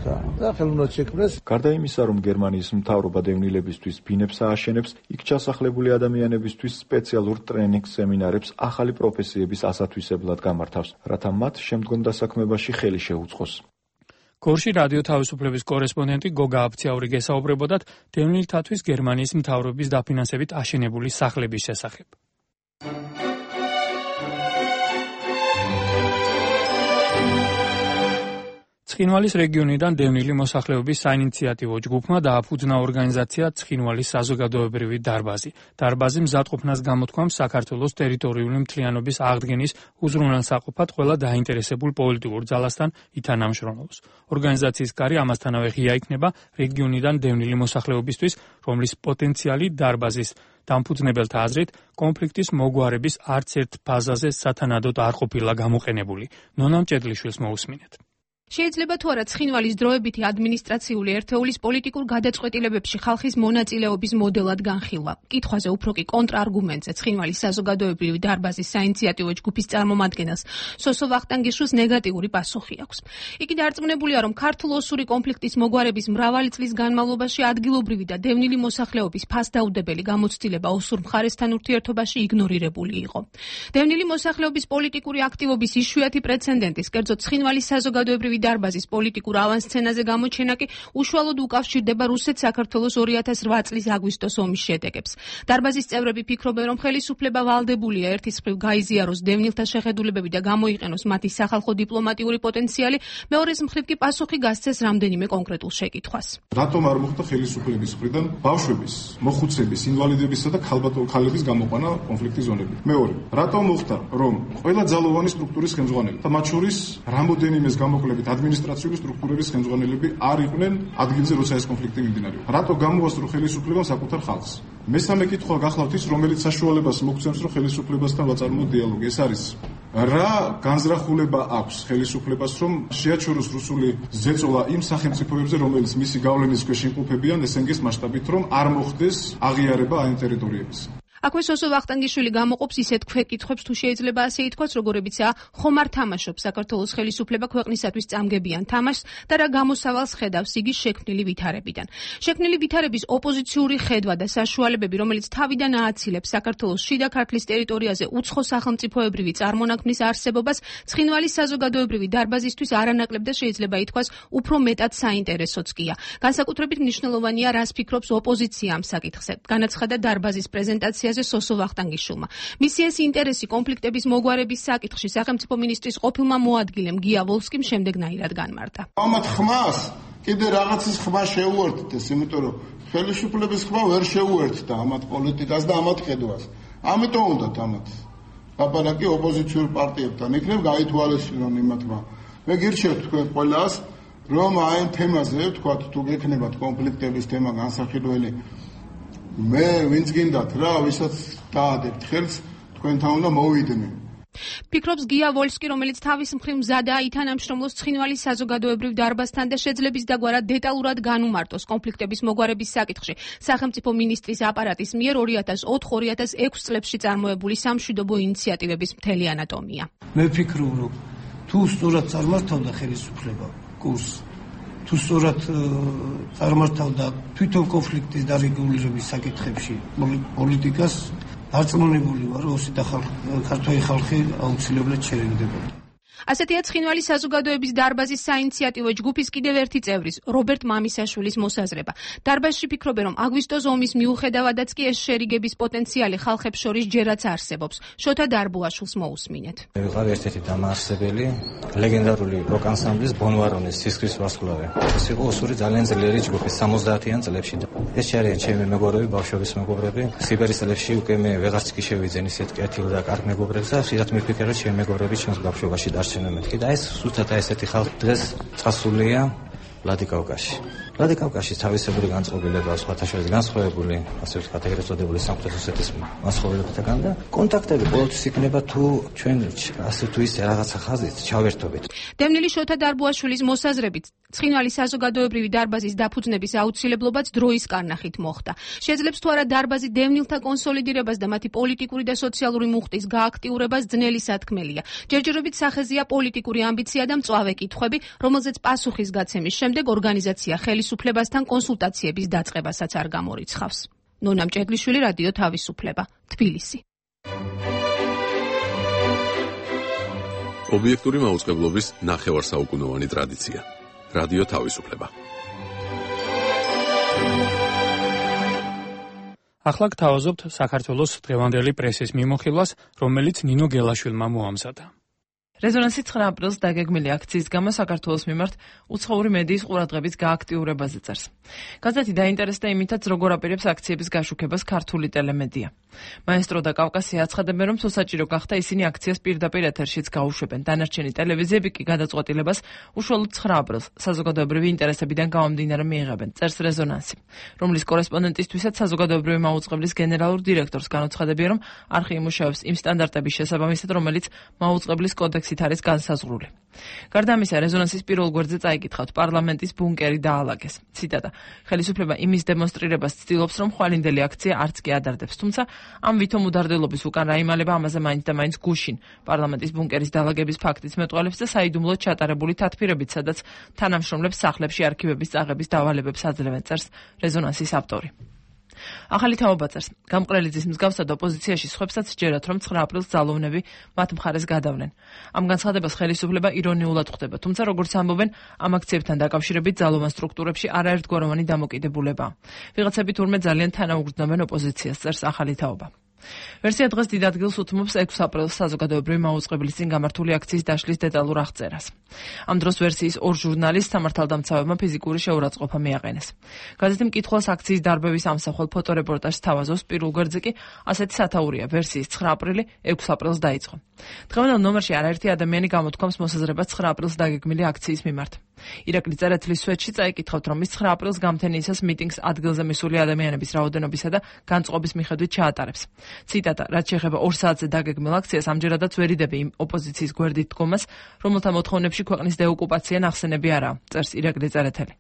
და ხელოვნურად შექმნეს. გარდა იმისა, რომ გერმანიის მთავრობა დევნილებისთვის ბინებს ააშენებს, იქ ჩასახლებული ადამიანებისთვის სპეციალურ ტრენინგ სემინარებს ახალი პროფესიების ასათვისებლად გამართავს, რათა მათ შემდგომ დასაქმებაში ხელი შეუწყოს. გორში რადიო თავისუფლების კორესპონდენტი გოგა აფციაური გესაუბრებოდათ დევნილთათვის გერმანიის მთავრობის დაფინანსებით აშენებული სახლების შესახებ. ცხინვალის რეგიონიდან დევნილი მოსახლეობის საინიციატივო ჯგუფმა დააფუძნა ორგანიზაცია ცხინვალის საზოგადოებრივი დარბაზი. დარბაზი მზადყოფნას გამოთქვამს საქართველოს ტერიტორიული მთლიანობის აღდგენის უზრუნველსაყოფად ყველა დაინტერესებულ პოლიტიკურ ძალასთან ითანამშრომლობს. ორგანიზაციის კარი ამასთანავე ღია იქნება რეგიონიდან დევნილი მოსახლეობისთვის, რომლის პოტენციალი დარბაზის დამფუძნებელთა აზრით კონფლიქტის მოგვარების არც ერთ ფაზაზე სათანადოდ არ ყოფილა გამოყენებული. ნონა მჭედლიშვილს მოусმინეთ. შეიძლება თუ არა ცხინვალის დროებითი ადმინისტრაციული ერთეულის პოლიტიკურ გადაწყვეტილებებში ხალხის მონაწილეობის მოდელად განხილვა. კითხვაზე უფრო კი კონტრარგუმენტზე ცხინვალის საზოგადოებრივი დარბაზის საინიციატივო ჯგუფის წარმომადგენელს სოსო ვახტანგიშვილს ნეგატიური პასუხი აქვს. იგი დარწმუნებულია, რომ ქართულ-ოსური კონფლიქტის მოგვარების მრავალი წლის განმავლობაში ადგილობრივი და დევნილი მოსახლეობის ფასდაუდებელი გამოცდილება ოსურ მხარესთან ურთიერთობაში იგნორირებული იყო. დევნილი მოსახლეობის პოლიტიკური აქტივობის იშვიათი პრეცედენტის, კერძოდ ცხინვალის საზოგადოებრივი დარბაზის პოლიტიკურ ავანსცენაზე გამოჩენა კი უშუალოდ უკავშირდება რუსეთ-საქართველოს ორი ათას რვა წლის აგვისტოს ომის შედეგებს. დარბაზის წევრები ფიქრობენ, რომ ხელისუფლება ვალდებულია ერთის მხრივ გაიზიაროს დევნილთა შეხედულებები და გამოიყენოს მათი სახალხო დიპლომატიური პოტენციალი, მეორეს მხრივ კი პასუხი გასცეს რამდენიმე კონკრეტულ შეკითხვას. რატომ არ მოხდა ხელისუფლების მხრიდან ბავშვების, მოხუცების, ინვალიდებისა და ქალების გამოყვანა კონფლიქტის ზონებით? მეორე, რატომ მოხდა, რომ ყველა ძალოვანი სტრუქტურის ხელმძღვანელი და მათ შორის რამოდენიმეს გამოკლებით ადმინისტრაციული სტრუქტურების ხელმძღვანელები არ იყვნენ ადგილზე, როცა ეს კონფლიქტი მიმდინარეობდა. რატო გამოასწრო ხელისუფლებამ საკუთარ ხალხს? მესამე კითხვა გახლავთ ის, რომელიც საშუალებას მოგცემს, რომ ხელისუფლებასთან ვაწარმოოთ დიალოგი. ეს არის რა განზრახულება აქვს ხელისუფლებას, რომ შეაჩეროს რუსული ზეწოლა იმ სახელმწიფოებზე, რომელიც მისი გავლენის ქვეშ იმყოფებიან ეს ენ გი-ის მასშტაბით, რომ არ მოხდეს აღიარება აი ტერიტორიების. აქვე სოსო ვახტანგიშვილი გამოყოფს ისეთ ქვეკითხვებს, თუ შეიძლება ასე ითქვას, როგორებიცაა ხომ არ თამაშობს საქართველოს ხელისუფლება ქვეყნისათვის წამგებიან თამაშს და რა გამოსავალს ხედავს იგი შექმნილი ვითარებიდან. შექმნილი ვითარების ოპოზიციური ხედვა და საშუალებები, რომელიც თავიდან ააცილებს საქართველოს შიდა ქართლის ტერიტორიაზე უცხო სახელმწიფოებრივი წარმონაქმნის არსებობას, ცხინვალის საზოგადოებრივი დარბაზისთვის არანაკლებ და შეიძლება ითქვას უფრო მეტად საინტერესოც გია. განსაკუთრებით მნიშვნელოვანია, რას ფიქრობს ოპოზიცია ამ საკითხზე. განაცხადა დარბაზის პრეზენტაციაზე სოსო ვახტანგიშვილმა. მისი ეს ინტერესი კონფლიქტების მოგვარების საკითხში სახელმწიფო მინისტრის ყოფილმა მოადგილემ გია ვოლსკიმ შემდეგნაირად განმარტა. ამათ ხმას კიდე რაღაცის ხმა შეუერთდეს, იმიტომ რომ ხელისუფლების ხმა ვერ შეუერთდა ამათ პოლიტიკას და ამათ ხედვას. ამიტომ უნდათ ამათ ლაპარაკი ოპოზიციურ პარტიებთან. იქნებ გაითვალისწინონ იმათმა. მე გირჩევთ თქვენ ყველას, რომ აი ამ თემაზე, თქვათ, თუ გექნებათ კონფლიქტების თემა განსახილველი, მე ვინც გინდათ რა, ვისაც დაადებთ ხელს, თქვენთან უნდა მოვიდნენ. ფიქრობს გია ვოლსკი, რომელიც თავის მხრივ მზადაა ითანამშრომლოს ცხინვალის საზოგადოებრივ დარბაზთან და შეძლების დაგვარად დეტალურად განუმარტოს კონფლიქტების მოგვარების საკითხში სახელმწიფო მინისტრის აპარატის მიერ ორი ათას ოთხ ორი ათას ექვს წლებში წარმოებული სამშვიდობო ინიციატივების მთელი ანატომია. მე ვფიქრობ, რომ თუ სწორად წარმართავდა ხელისუფლება კურსს, თუ სწორად წარმართავდა თვითონ კონფლიქტის დარეგულირების საკითხებში პოლიტიკას, დარწმუნებული ვარ, რომ ოსი და ქართველი ხალხი აუცილებლად შერიგდებოდა. ასეთია ცხინვალის საზოგადოების დარბაზის საინიციატივო ჯგუფის კიდევ ერთი წევრის, რობერტ მამისაშვილის მოსაზრება. დარბაზში ფიქრობენ, რომ აგვისტოს ომის მიუხედავადაც კი ეს შერიგების პოტენციალი ხალხებს შორის ჯერაც არსებობს. შოთა დარბუაშვილს მოусმინეთ. ვიყავ ერთ-ერთი დამაარსებელი ლეგენდარული როკ-ანსამბლის ბონვარონის სისხლის ვარსკვლავი. ეს იყო ოსური ძალიან ძლიერი ჯგუფი სამოცდაათიან წლებში. ეს არიან ჩემი მეგობრები, ბავშვობის მეგობრები. სიბერის წლებში უკვე მე ვეღარც კი შევიძენ ისეთ კეთილ და კარგ მეგობრებს და ხშირად მიფიქრე, რომ ჩემი მეგობრები ჩვენს ბავშვობაში დარჩენენ მეთქი და ეს ზუსტად ესეთი ხალხი დღეს წასულია ვლადიკავკაზში. ვლადიკავკაზში თავისებური განწყობილება სხვათა შორის განსხვავებული, ასე ვთქვათ, ეგრეთ წოდებული სამხრეთ ოსეთის განსხვავებებთან და კონტაქტები ყოველთვის იქნება თუ ჩვენ ასე თუ ისე რაღაცა ხაზით ჩავერთობით. დევნილი შოთა დარბუაშვილის მოსაზრებით, ცხინვალის საზოგადოებრივი დარბაზის დაფუძნების აუცილებლობაც დროის კარნახით მოხდა. შეძლებს თუ არა დარბაზი დევნილთა კონსოლიდირებას და მათი პოლიტიკური და სოციალური მუხტის გააქტიურებას ძნელი სათქმელია. ჯერჯერობით სახეზეა პოლიტიკური ამბიცია და მწვავე კითხვები, რომელზეც პასუხის გაცემის შემდეგ ორგანიზაცია ხელისუფლებასთან კონსულტაციების დაწყებასაც არ გამორიცხავს. ნონა მჭედლიშვილი, რადიო თავისუფლება, თბილისი. ობიექტური მაუწყებლობის ნახევარსაუკუნოვანი ტრადიცია. რადიო თავისუფლება. ახლა გთავაზობთ საქართველოს დღევანდელი პრესის მიმოხილვას, რომელიც ნინო გელაშვილმა მოამზადა. რეზონანსი ცხრა აპრილს დაგეგმილი აქციის გამო საქართველოს მიმართ უცხოური მედიის ყურადღების გააქტიურებაზე წერს. გაზეთი დაინტერესდა იმითაც, როგორ აპირებს აქციების გაშუქებას ქართული ტელემედია. მაესტრო და კავკასია აცხადებენ, რომ თუ საჭირო გახდა, ისინი აქციას პირდაპირ ეთერშიც გაუშვებენ. დანარჩენი ტელევიზიები კი გადაწყვეტილებას უშუალოდ ცხრა აპრილს საზოგადოებრივი ინტერესებიდან გამომდინარე მიიღებენ, წერს რეზონანსი, რომლის კორესპონდენტისთვისაც საზოგადოებრივი მაუწყებლის გენერალურ დირექტორს განუცხადებია, რომ არხი იმუშავებს იმ სტანდარტების შესაბამისად, რომელიც მაუწყებლის კოდექსით არის განსაზღვრული. გარდა ამისა, რეზონანსის პირველ გვერდზე წაიკითხავთ, პარლამენტის ბუნკერი დაალაგეს. ციტატა: ხელისუფლება იმის დემონსტრირებას ცდილობს, რომ ხვალინდელი აქცია არც კი ადარდებს, თუმცა ამ ვითომ უდარდელობის უკან რაიმალება ამაზე მაინც და მაინც გუშინ პარლამენტის ბუნკერის დაალაგების ფაქტიც მეტყველებს და საიდუმლოდ ჩატარებული თათბირებით, სადაც თანამშრომლებს სახლებში არქივების წაღების დავალებებს აძლევენ, წერს რეზონანსის ავტორი. ახალი თაობა წერს, გამყრელიძის მსგავსად ოპოზიციაში სხვებსაც ჯერათ, რომ ცხრა აპრილს ძალოვნები მათ მხარეს გადავლენ. ამ განცხადებას ხელისუფლება ირონიულად ხვდება, თუმცა როგორც ამბობენ, ამ აქციებთან დაკავშირებით ძალოვან სტრუქტურებში არაერთგვაროვანი დამოკიდებულებაა. ვიღაცები თურმე ძალიან თანაუგრძნობენ ოპოზიციას, წერს ახალი თაობა. ვერსია დღეს დიდ ადგილს უთმობს ექვსი აპრილს საზოგადოებრივი მაუწყებლის წინ გამართული აქციის დაშლის დეტალურ აღწერას. ამ დროს ვერსიის ორ ჟურნალისტს სამართალდამცავებმა ფიზიკური შეურაცხყოფა მიაყენეს. გაზეთი მკითხველს აქციის დარბევის ამსახველ ფოტორეპორტაჟს თავაზობს, პირველ გვერდზე კი ასეთი სათაურია: ვერსიის ცხრა აპრილი ექვსი აპრილს დაიწყო. დღევანდელ ნომერში არაერთი ადამიანი გამოთქვამს მოსაზრებას ცხრა აპრილს დაგეგმილი აქციის მიმართ. ირაკლი წერეთლის სვეტში წაიკითხავთ, რომ ის ცხრა აპრილს გამთენიისას მიტინგს ადგილზე მისული ადამიანების რაოდენობისა და განწყობის მიხედვით ჩაატარებს. ციტატა: რაც შეეხება ორ საათზე დაგეგმილ აქციას, ამჯერადაც ვერ იდები იმ ოპოზიციის გვერდით დგომას, რომელთა მოთხოვნებში ქვეყნის დეოკუპაცია ნახსენები არაა, წერს ირაკლი წერეთელი.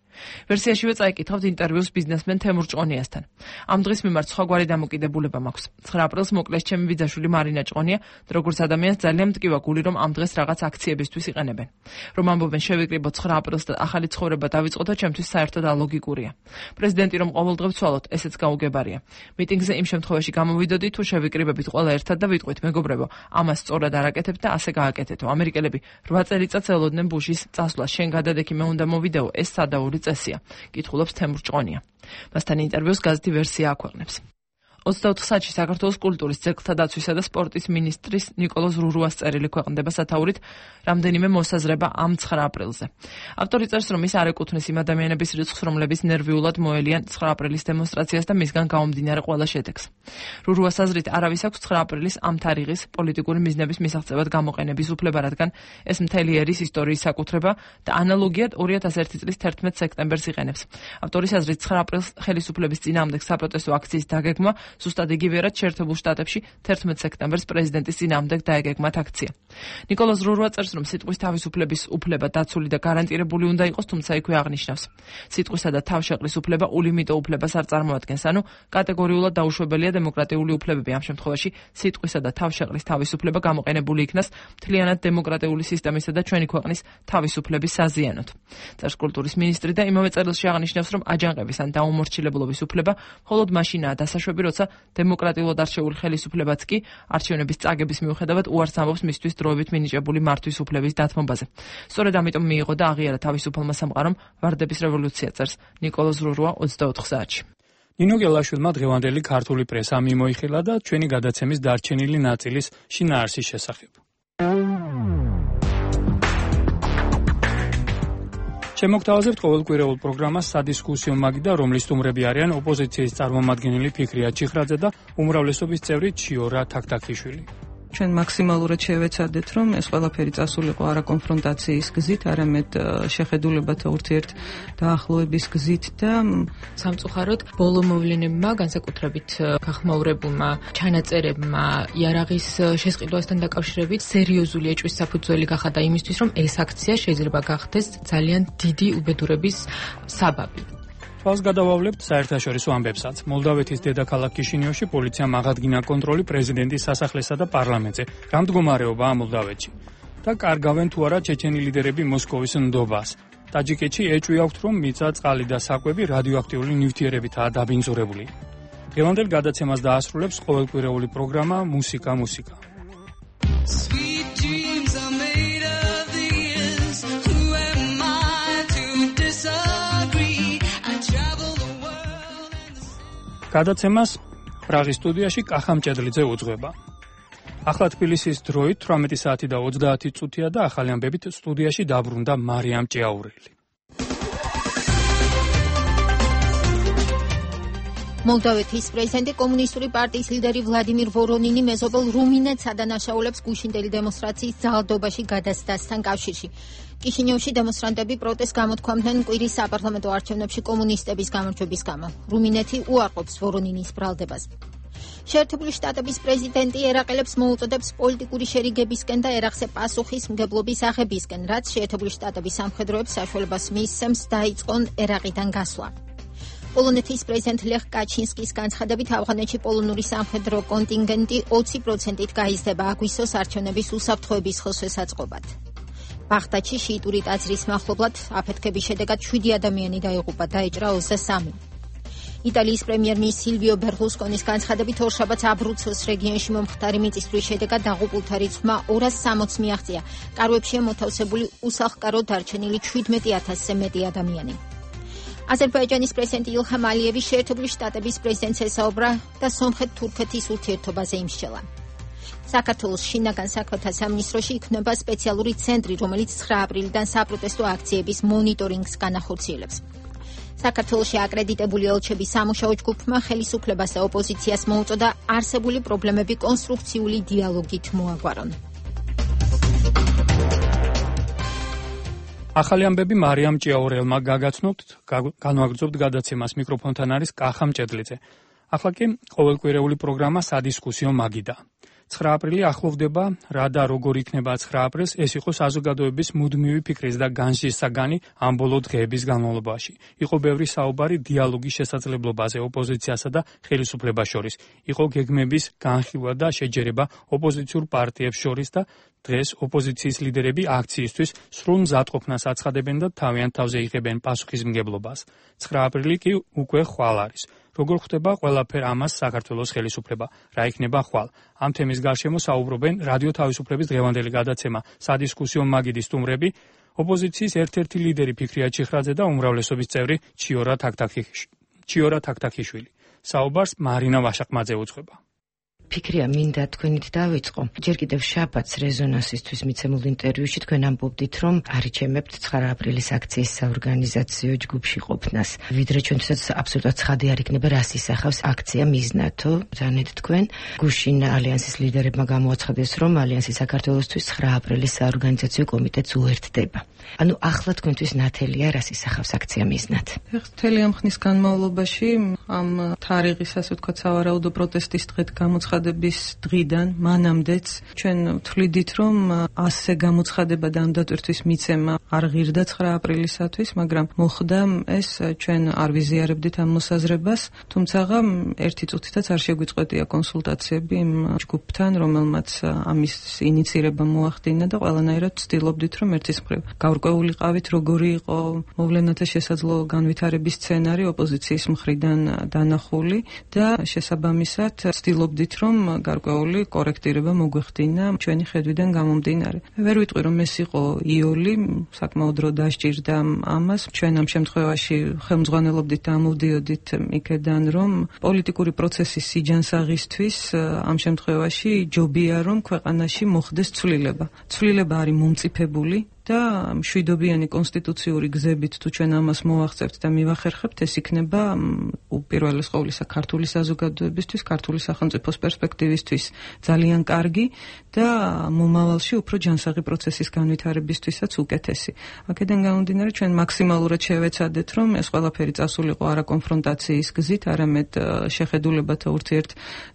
ვერსიაშივე წაიკითხავთ ინტერვიუს ბიზნესმენ თემურ ჭყონიასთან. ამ დღის მიმართ სხვაგვარი დამოკიდებულება მაქვს. ცხრა აპრილს მოკლეს ჩემი ბიძაშვილი მარინა ჭყონია, როგორც ადამიანს ძალიან მტკივა გული, რომ ამ დღეს რაღაც აქციებისთვის იყენებენ. რომ ამბობენ შევიკრიბოთ ცხრა აპრილს და ახალი ცხოვრება დავიწყოთ, ჩემთვის საერთოდ ალოგიკურია. პრეზიდენტი რომ ყოველდღე ვცვალოთ, ესეც გაუგებარია. მიტინგზე იმ შემთხვევაში გამოვიდოდი, თუ შევიკრიბებით ყველა ერთად და ვიტყვით, მეგობრებო, ამას სწორად არაკეთებთ და ასე გააკეთეთო. ამერიკელები რვა წელიწადს ელოდნენ ბუშის წასვლას, შენ გადადექი, მე უნდა მოვიდეო, ეს სადაური წესია, კითხულობს თემურ ჭყონია. მასთან ინტერვიუს გაზეთი ვერსია აქვეყნებს. ოცდაოთხ საათში საქართველოს კულტურის, ძეგლთა დაცვისა და სპორტის მინისტრის ნიკოლოზ რურუას წერილი ქვეყნდება სათაურით რამდენიმე მოსაზრება ამ ცხრა აპრილზე. ავტორი წერს, რომ ის არ ეკუთვნის იმ ადამიანების რიცხვს, რომლებიც ნერვიულად მოელიან ცხრა აპრილის დემონსტრაციას და მისგან გამომდინარე ყველა შედეგს. რურუას აზრით, არავის აქვს ცხრა აპრილის ამ თარიღის პოლიტიკური მიზნების მისაღწევად გამოყენების უფლება, რადგან ეს მთელი ერის ისტორიის საკუთრება და ანალოგიად ორი ათას ერთი წლის თერთმეტ სექტემბერს იყენებს. ავტორის აზრით, ცხრა აპრილს ხელისუფლების წინააღმდეგ საპროტესტო აქციის დაგეგმა ზუსტად იგივეა შეერთებულ შტატებში თერთმეტ სექტემბერს პრეზიდენტის წინააღმდეგ დაეგეგმათ აქცია. ნიკოლოზ რურუა წერს, რომ სიტყვის თავისუფლების უფლება დაცული და გარანტირებული უნდა იყოს, თუმცა იქვე აღნიშნავს: სიტყვისა და თავშეყრის უფლება ულიმიტო უფლებას არ წარმოადგენს, ანუ კატეგორიულად დაუშვებელია დემოკრატიული უფლებები. ამ შემთხვევაში სიტყვისა და თავშეყრის თავისუფლება გამოყენებული იქნას მთლიანად დემოკრატიული სისტემისა და ჩვენი ქვეყნის თავისუფლების საზიანოდ. წერს კულტურის მინისტრი და იმავე წერილში აღნიშნავს, რომ აჯანყების ან დაუმორჩილებლობის უფლება მხოლოდ მაშინაა დასაშვები, როცა დემოკრატიულად არჩეული ხელისუფლებაც კი არჩევნების წაგების მიუხედავად უარს ამბობს მისთვის დროებით მინიჭებული მართვის უფლების დათმობაზე. სწორედ ამიტომ მიიღო და აღიარა თავისუფალმა სამყარომ ვარდების რევოლუცია, წერს ნიკოლოზ ზრურვა ოცდაოთხ საათში. ნინო გელაშვილმა დღევანდელი ქართული პრესა მიმოიხილა და ჩვენი გადაცემის დარჩენილი ნაწილის შინაარსის შესახებ. შემოგთავაზებთ ყოველკვირეულ პროგრამას სადისკუსიო მაგიდა, რომლის სტუმრები არიან ოპოზიციის წარმომადგენელი ფიქრია ჩიხრაძე და უმრავლესობის წევრი ჩიორა თაქთაქიშვილი. ჩვენ მაქსიმალურად შევეცადეთ, რომ ეს ყველაფერი წასულიყო არა კონფრონტაციის გზით, არამედ შეხედულებათა ურთიერთ დაახლოების გზით და სამწუხაროდ ბოლო მოვლენებმა, განსაკუთრებით გახმაურებულმა ჩანაწერებმა იარაღის შესყიდვასთან დაკავშირებით სერიოზული ეჭვის საფუძველი გახადა იმისთვის, რომ ეს აქცია შეიძლება გახდეს ძალიან დიდი უბედურების საბაბი. თვალს გადავავლებთ საერთაშორისო ამბებსაც. მოლდავეთის დედაქალაქ კიშინიოვში პოლიციამ აღადგინა კონტროლი პრეზიდენტის სასახლესა და პარლამენტზე. რა მდგომარეობაა მოლდავეთში? და კარგავენ თუ არა ჩეჩენი ლიდერები მოსკოვის ნდობას. ტაჯიკეთში ეჭვი აქვთ, რომ მიწა, წყალი და საკვები რადიოაქტიული ნივთიერებითაა დაბინძურებული. დღევანდელ გადაცემას დაასრულებს ყოველკვირეული პროგრამა მუსიკა მუსიკა. გადაცემას პრაღის სტუდიაში კახამ ჭედლიძე უძღვება. ახლა თბილისის დროით თვრამეტი საათი და ოცდაათი წუთია და ახალი ამბებით სტუდიაში დაბრუნდა მარიამ ჭიაურელი. მოლდავეთის პრეზიდენტი კომუნისტური პარტიის ლიდერი ვლადიმირ ვორონინი მეზობელ რუმინეთს ადანაშაულებს გუშინდელი დემონსტრაციის ძალადობაში გადასცდასთან კავშირში. კიშინიოვში დემონსტრანტები პროტესტს გამოთქვამდნენ კვირის საპარლამენტო არჩევნებში კომუნისტების გამარჯვების გამო. რუმინეთი უარყოფს ვორონინის ბრალდებას. შეერთებული შტატების პრეზიდენტი ერაყელებს მოუწოდებს პოლიტიკური შერიგებისკენ და ერახზე პასუხისმგებლობის აღებისკენ, რაც შეერთებული შტატების სამხედროებს საშუალებას მისცემს დაიწყონ ერაყიდან გასვლა. პოლონეთის პრეზიდენტ ლეხ კაჩინსკის განცხადებით ავღანეთში პოლონური სამხედრო კონტინგენტი ოცი პროცენტით გაიზრდება აგვისტოს არჩევნების უსაფრთხოების ხელშესაწყობად. ბაღდადში შიიტური ტაძრის მახლობლად აფეთქების შედეგად შვიდი ადამიანი დაიღუპა, დაიჭრა ოცდასამი. იტალიის პრემიერ-მინისტრის სილვიო ბერლუსკონის განცხადებით ორშაბათს აბრუცოს რეგიონში მომხდარი მიწისძვრის შედეგად დაღუპულთა რიცხვმა ორას სამოცს მიაღწია. კარვებშია მოთავსებული უსახლკაროდ დარჩენილი შვიდმეტი ათასზე მეტი ადამიანი. აზერბაიჯანის პრეზიდენტი ილჰამ ალიევი შეერთებული შტატების პრეზიდენტს ესაუბრა და სომხეთ-თურქეთის ურთიერთობაზე იმსჯელა. საქართველოს შინაგან საქმეთა სამინისტროში იქმნება სპეციალური ცენტრი, რომელიც ცხრა აპრილიდან საპროტესტო აქციების მონიტორინგს განახორციელებს. საქართველოში აკრედიტებული ელჩების სამუშაო ჯგუფმა ხელისუფლებას და ოპოზიციას მოუწოდა არსებული პრობლემები კონსტრუქციული დიალოგით მოაგვარონ. ახალი ამბები მარიამ ჭიაურელმა გაგაცნობთ, განვაგრძობთ გადაცემას. მიკროფონთან არის კახამ ჭედლიძე. ახლა კი ყოველკვირეული პროგრამა სადისკუსიო მაგიდა. ცხრა აპრილი ახლოვდება, რა და როგორ იქნება ცხრა აპრილს, ეს იყო საზოგადოების მუდმივი ფიქრის და განსჯის საგანი ამ ბოლო დღეების განმავლობაში. იყო ბევრი საუბარი დიალოგის შესაძლებლობაზე ოპოზიციასა და ხელისუფლებას შორის. იყო გეგმების განხილვა და შეჯერება ოპოზიციურ პარტიებს შორის და დღეს ოპოზიციის ლიდერები აქციისთვის სრულ მზადყოფნას აცხადებენ და თავიანთ თავზე იღებენ პასუხისმგებლობას. ცხრა აპრილი კი უკვე ხვალ არის. როგორ ხდება ყველაფერ ამას საქართველოს ხელისუფლება? რა იქნება ხვალ? ამ თემის გარშემო საუბრობენ რადიო თავისუფლების დღევანდელი გადაცემა სადისკუსიო მაგიდის სტუმრები, ოპოზიციის ერთ-ერთი ლიდერი ფიქრია ჩიხრაძე და უმრავლესობის წევრი ჩიორა ჩიორა თაქთაქიშვილი. საუბარს მარინა ვაშაყმაძე უძღვება. ფიქრია, მინდა თქვენით დავიწყო. ჯერ კიდევ შაბათს რეზონანსისთვის მიცემულ ინტერვიუში თქვენ ამბობდით, რომ არიჩემებთ ცხრა აპრილის აქციის საორგანიზაციო ჯგუფში ყოფნას. ვიდრე ჩვენთვისაც აბსოლუტურად ცხადი არ იქნება, რას ისახავს აქცია მიზნათო. ზანეთ თქვენ გუშინ ალიანსის ლიდერებმა გამოაცხადეს, რომ ალიანსი საქართველოსთვის ცხრა აპრილის საორგანიზაციო კომიტეტს უერთდება. ანუ ახლა თქვენთვის ნათელია, რას ისახავს აქცია მიზნად. მთელი ამ ხნის განმავლობაში ამ თარიღის, ასე ვთქვათ, სავარაუდო პროტესტის დღეთ გამოცხადების დღიდან მანამდეც ჩვენ ვთვლიდით, რომ ასე გამოცხადება და ამ დატვირთვის მიცემა არ ღირდა ცხრა აპრილისათვის, მაგრამ მოხდა ეს, ჩვენ არ ვიზიარებდით ამ მოსაზრებას, თუმცა ერთი წუთითაც არ შეგვიწყვეტია კონსულტაციები იმ ჯგუფთან, რომელმაც ამის ინიცირება მოახდინა და ყველანაირად ვცდილობდით, რომ ერთის მხრივ გაურკვეულიყავით, როგორი იყო მოვლენათა შესაძლო განვითარების სცენარი ოპოზიციის მხრიდან დანახული და შესაბამისად ვცდილობდით, რომ გარკვეული კორექტირება მოგვეხდინა ჩვენი ხედვიდან გამომდინარე. ვერ ვიტყვი, რომ ეს იყო იოლი, საკმაოდ დრო დასჭირდა ამას. ჩვენ ამ შემთხვევაში ხელმძღვანელობდით და ამოვდიოდით იქედან, რომ პოლიტიკური პროცესის სიჯანსაღისთვის ამ შემთხვევაში ჯობია, რომ ქვეყანაში მოხდეს ცვლილება. ცვლილება არის მომწიფებული და მშვიდობიანი კონსტიტუციური გზებით თუ ჩვენ ამას მოვახცევთ და მივახერხებთ, ეს იქნება უპირველეს ყოვლისა ქართული საზოგადოებისთვის, ქართული სახელმწიფოს პერსპექტივისთვის ძალიან კარგი და მომავალში უფრო ჯანსაღი პროცესის განვითარებისთვისაც უკეთესი. აქედან გამომდინარე, ჩვენ მაქსიმალურად შევეცადეთ, რომ ეს ყველაფერი წასულიყო არა კონფრონტაციის გზით, არამედ შეხედულებათა ურთიერთ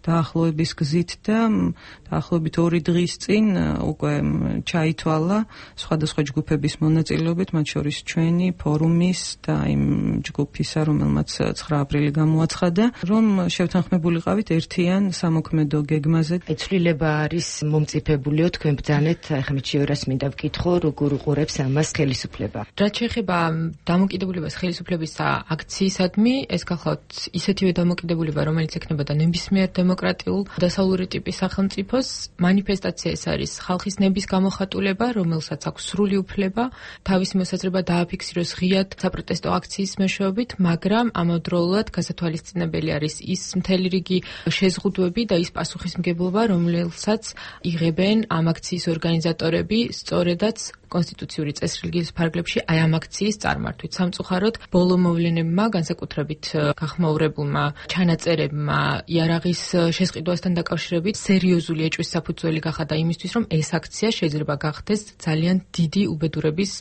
დაახლოების გზით და დაახლოებით ორი დღის წინ უკვე ჩაითვალა სხვადასხვა ჯგუფების მონაწილეობით, მათ შორის ჩვენი ფორუმის და იმ ჯგუფისა, რომელმაც ცხრა აპრილი გამოაცხადა, რომ შევთანხმებულიყავით ერთიან სამოქმედო გეგმაზე. ცვლილება არის მომწიფებულიო, თქვენ ბრძანეთ, ახლა მე შეურას მინდა ვკითხო, როგორ უყურებს ამას ხელისუფლება. რაც შეეხება დამოკიდებულებას ხელისუფლების აქციისადმი, ეს გახლავთ ისეთივე დამოკიდებულება, რომელიც ექნებოდა ნებისმიერ დემოკრატიულ დასავლური ტიპის სახელმწიფოს. მანიფესტაცია ეს არის ხალხის ნების გამოხატულება, რომელსაც აქვს სრული უფლება თავისი მოსაზრება დააფიქსიროს ღიად საპროტესტო აქციის მეშვეობით, მაგრამ ამავდროულად გასათვალისწინებელი არის ის მთელი რიგი შეზღუდვები და ის პასუხისმგებლობა, რომელსაც იღებენ ამ აქციის ორგანიზატორები, სწორედაც კონსტიტუციური წესრიგის ფარგლებში აი ამ აქციის წარმართვით. სამწუხაროდ, ბოლო მოვლენებმა, განსაკუთრებით გახმაურებულმა ჩანაწერებმა იარაღის შესყიდვასთან დაკავშირებით სერიოზული ეჭვის საფუძველი გახადა იმისთვის, რომ ეს აქცია შეიძლება გახდეს ძალიან დიდი უბედურების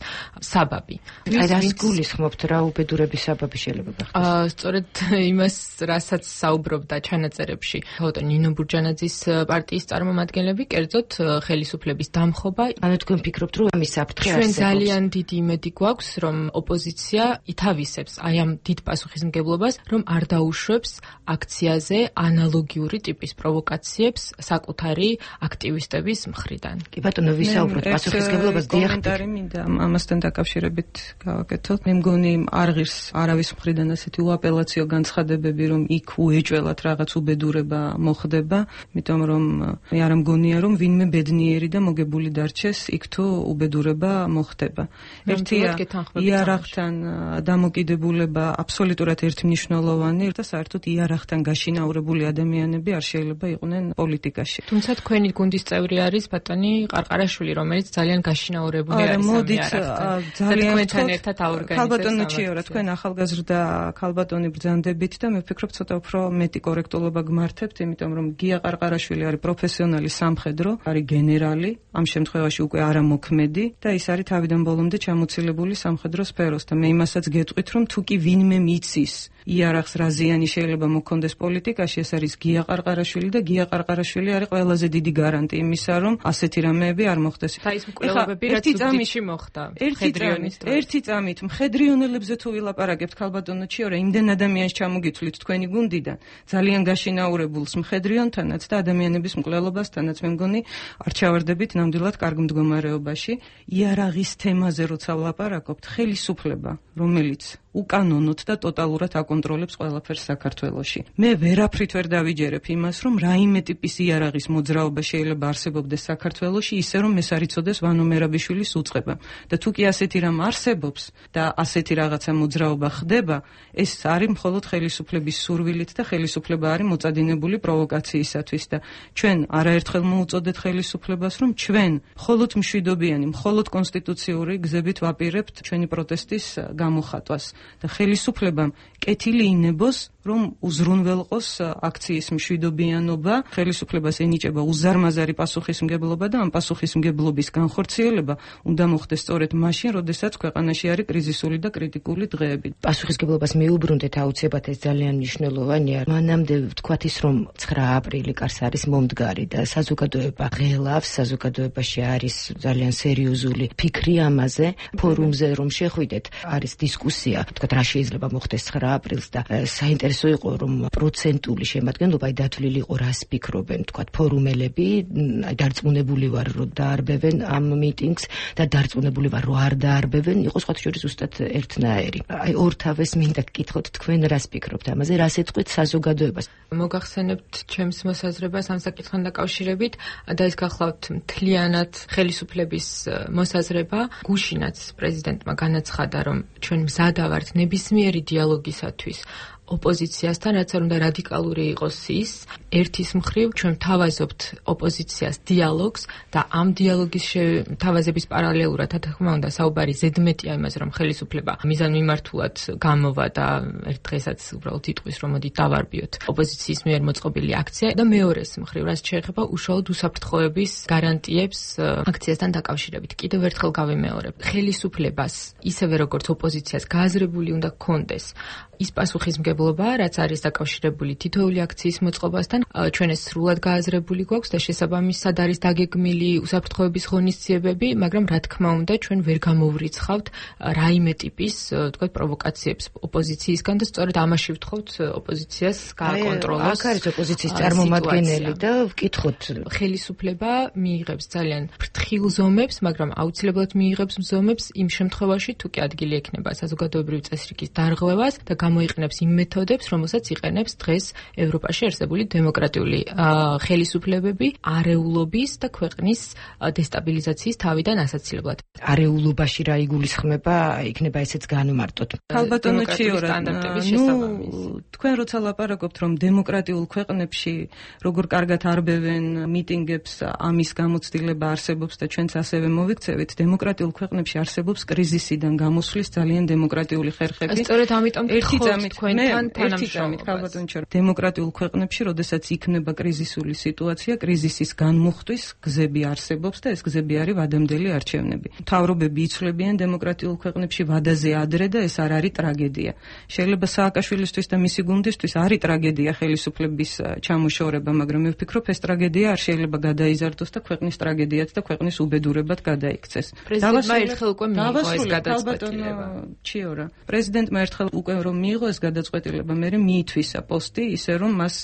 საბაბი. აი რას გულისხმობთ, რა უბედურების საბაბი შეიძლება გახდეს? სწორედ იმას, რასაც საუბრობდა ჩანაწერებში თეოდორ ნინო ბურჯანაძის პარტიის წარმომადგენლები, კერძოდ ხელისუფლების დამხობა. ანუ თქვენ ფიქრობთ, რომ ამის ჩვენ ძალიან დიდი იმედი გვაქვს, რომ ოპოზიცია ითავისებს აი ამ დიდ პასუხისმგებლობას, რომ არ დაუშვებს აქციაზე ანალოგიური ტიპის პროვოკაციებს საკუთარი აქტივისტების მხრიდან. კი ბატონო, ვისაუბროთ პასუხისმგებლობას დიახტარი მინდა ამასთან დაკავშირებით გავაკეთოთ. მე მგონი არ ღირს არავის მხრიდან ასეთი უაპელაციო განცხადებები, რომ იქ უეჭველად რაღაც უბედურება მოხდება, იმიტომ რომ მე არ მგონია, რომ ვინმე ბედნიერი და მოგებული დარჩეს იქ თუ უბედურება მოხდება. ერთია იარაღთან დამოკიდებულება აბსოლუტურად ერთმნიშვნელოვანი და საერთოდ იარაღთან გაშინაურებული ადამიანები არ შეიძლება იყვნენ პოლიტიკაში. თუმცა თქვენი გუნდის წევრი არის ბატონი ყარყარაშვილი, რომელიც ძალიან გაშინაურებული არის ამ იარაღთან. ძალიან თქვენთან ერთად აორგანიზებს. ქალბატონო ჩიორა, თქვენ ახალგაზრდა ქალბატონი ბრძანდებით და მე ვფიქრობ ცოტა უფრო მეტი კორექტულობა გმართებთ, იმიტომ რომ გია ყარყარაშვილი არის პროფესიონალი სამხედრო, არის გენერალი, ამ შემთხვევაში უკვე არა მოქმედი და ის არის თავიდან ბოლომდე ჩამოცილებული სამხედრო სფეროს და მე იმასაც გეტყვით, რომ თუ კი ვინმე მიცის იარაღს რა ზიანი შეიძლება მოქონდეს პოლიტიკაში, ეს არის გია ყარყარაშვილი და გია ყარყარაშვილი არის ყველაზე დიდი გარანტი იმისა, რომ ასეთი რამეები არ მოხდეს. და ის მკვლელობები რაც უდიდში მოხდა. მხედრიონის ერთი წამით მხედრიონელებზე თუ ვილაპარაკებთ ქალბატონო ჩიორა, იმდენ ადამიანს ჩამოგითვლით თქვენი გუნდიდან, ძალიან გაშინაურებულს მხედრიონთანაც და ადამიანების მკვლელობასთანაც, მე მგონი არ ჩავარდებით ნამდვილად კარგ მდგომარეობაში. იარაღის თემაზე როცა ვლაპარაკობთ, ხელისუფლება, რომელიც უკანონოდ და ტოტალურად აკონტროლებს ყველაფერს საქართველოში. მე ვერაფრით ვერ დავიჯერებ იმას, რომ რაიმე ტიპის იარაღის მოძრაობა შეიძლება არსებობდეს საქართველოში, ისე რომ ეს არ იცოდეს ვანო მერაბიშვილის უწყება. და თუ კი ასეთი რამ არსებობს და ასეთი რაღაცა მოძრაობა ხდება, ეს არის მხოლოდ ხელისუფლების სურვილით და ხელისუფლება არის მოწადინებული პროვოკაციისათვის და ჩვენ არაერთხელ მოუწოდეთ ხელისუფლებას, რომ ჩვენ მხოლოდ მშვიდობიანი, მხოლოდ კონსტიტუციური გზებით ვაპირებთ ჩვენი პროტესტის გამოხატვას. და ხელისუფლებამ კეთილი ინებოს, რომ უზრუნველყოს აქციის მშვიდობიანობა, ხელისუფლებას ენიჭება უზარმაზარი პასუხისმგებლობა და ამ პასუხისმგებლობის განხორციელება უნდა მოხდეს სწორედ მაშინ, როდესაც ქვეყანაში არის კრიზისული და კრიტიკული დღეები. პასუხისმგებლობას მიუბრუნდეთ, აუცილებლად ეს ძალიან მნიშვნელოვანია. მანამდე ვთქვათ ის, რომ ცხრა აპრილი კარს არის მომდგარი და საზოგადოება ღელავს, საზოგადოებაში არის ძალიან სერიოზული ფიქრი ამაზე, ფორუმზე რომ შეხვიდეთ, არის დისკუსია თქვათ რა შეიძლება მოხდეს ცხრა აპრილს და საინტერესო იყო რომ პროცენტული შემადგენლობა აი დათვლილი იყო რას ფიქრობენ თქვათ ფორუმელები, აი დარწმუნებული ვარ რომ დაარბევენ ამ მიტინგს და დარწმუნებული ვარ რომ არ დაარბევენ, იყო სხვათა შორის ზუსტად ერთნაირი. აი ორთავეს მინდა გკითხოთ თქვენ რას ფიქრობთ ამაზე, რას ეთყვით საზოგადოებას? მოგახსენებთ ჩემს მოსაზრებას ამ საკითხთან დაკავშირებით და ის გახლავთ მთლიანად ხელისუფლების მოსაზრება. გუშინაც პრეზიდენტმა განაცხადა, რომ ჩვენ მზად ვართ ნებისმიერი დიალოგისათვის ოპოზიციასთან, რაც არ უნდა რადიკალური იყოს ის. ერთის მხრივ ჩვენ თავაზობთ ოპოზიციას დიალოგს და ამ დიალოგის თავაზების პარალელურად, რა თქმა უნდა, საუბარი ზედმეტია იმაზე, რომ ხელისუფლება მიზანმიმართულად გამოვა და ერთ დღესაც უბრალოდ იტყვის, რომ მოდით დავარბიოთ ოპოზიციის მიერ მოწყობილი აქცია და მეორეს მხრივ, რაც შეეხება უშუალოდ უსაფრთხოების გარანტიებს აქციასთან დაკავშირებით. კიდევ ერთხელ გავიმეორებ, ხელისუფლებას ისევე როგორც ოპოზიციას გააზრებული უნდა გქონდეს ის პასუხისმგებლობა, რაც არის დაკავშირებული თითოეული აქციის მოწყობასთან, ჩვენ ეს სრულად გააზრებული გვაქვს და შესაბამისად არის დაგეგმილი უსაფრთხოების ღონისძიებები, მაგრამ რა თქმა უნდა, ჩვენ ვერ გამოვრიცხავთ რაიმე ტიპის, თქვათ, პროვოკაციებს ოპოზიციისგან და სწორედ ამაში ვთხოვთ ოპოზიციას გააკონტროლოს. აქ არის ოპოზიციის წარმომადგენელი და ვკითხოთ, ხელისუფლება მიიღებს ძალიან ფრთხილ ზომებს, მაგრამ აუცილებლად მიიღებს ზომებს იმ შემთხვევაში, თუ კი ადგილი ექნება საზოგადოებრივი წესრიგის დარღვევას და გამოიყენებს იმ მეთოდებს, რომელსაც იყენებს დღეს ევროპაში არსებული დემოკრატიული ხელისუფლებები არეულობის და ქვეყნის დესტაბილიზაციის თავიდან ასაცილებლად. არეულობაში რა იგულისხმება, იქნება ესეც განმარტოთ. ქალბატონო ჩიორა, ნუ თქვენ როცა ლაპარაკობთ, რომ დემოკრატიულ ქვეყნებში როგორ კარგად არბევენ მიტინგებს, ამის გამოცდილება არსებობს და ჩვენც ასევე მოვიქცევით, დემოკრატიულ ქვეყნებში არსებობს კრიზისიდან გამოსვლის ძალიან დემოკრატიული ხერხები. სწორედ ამიტომ ერთი წამით თქვენთან თანამშრომლობა. დემოკრატიულ ქვეყნებში, როდესაც იქნება კრიზისული სიტუაცია, კრიზისის განმუხტვის გზები არსებობს და ეს გზები არის ვადამდელი არჩევნები. მთავრობები იცვლებიან დემოკრატიულ ქვეყნებში ვადაზე ადრე და ეს არ არის ტრაგედია. შეიძლება სააკაშვილისთვის და მისი გუნდისთვის არის ტრაგედია ხელისუფლების ჩამოშორება, მაგრამ მე ვფიქრობ, ეს ტრაგედია არ შეიძლება გადაიზარდოს და ქვეყნის ტრაგედიად და ქვეყნის უბედურებად გადაიქცეს. პრეზიდენტმა ერთხელ უკვე მიიღო ეს გადაწყვეტილება. ჩიორა, პრეზიდენტმა ერთხელ უკვე რომ მიიღო ეს გადაწყვეტილება, მე მიითვისა პოსტი, ისე რომ მას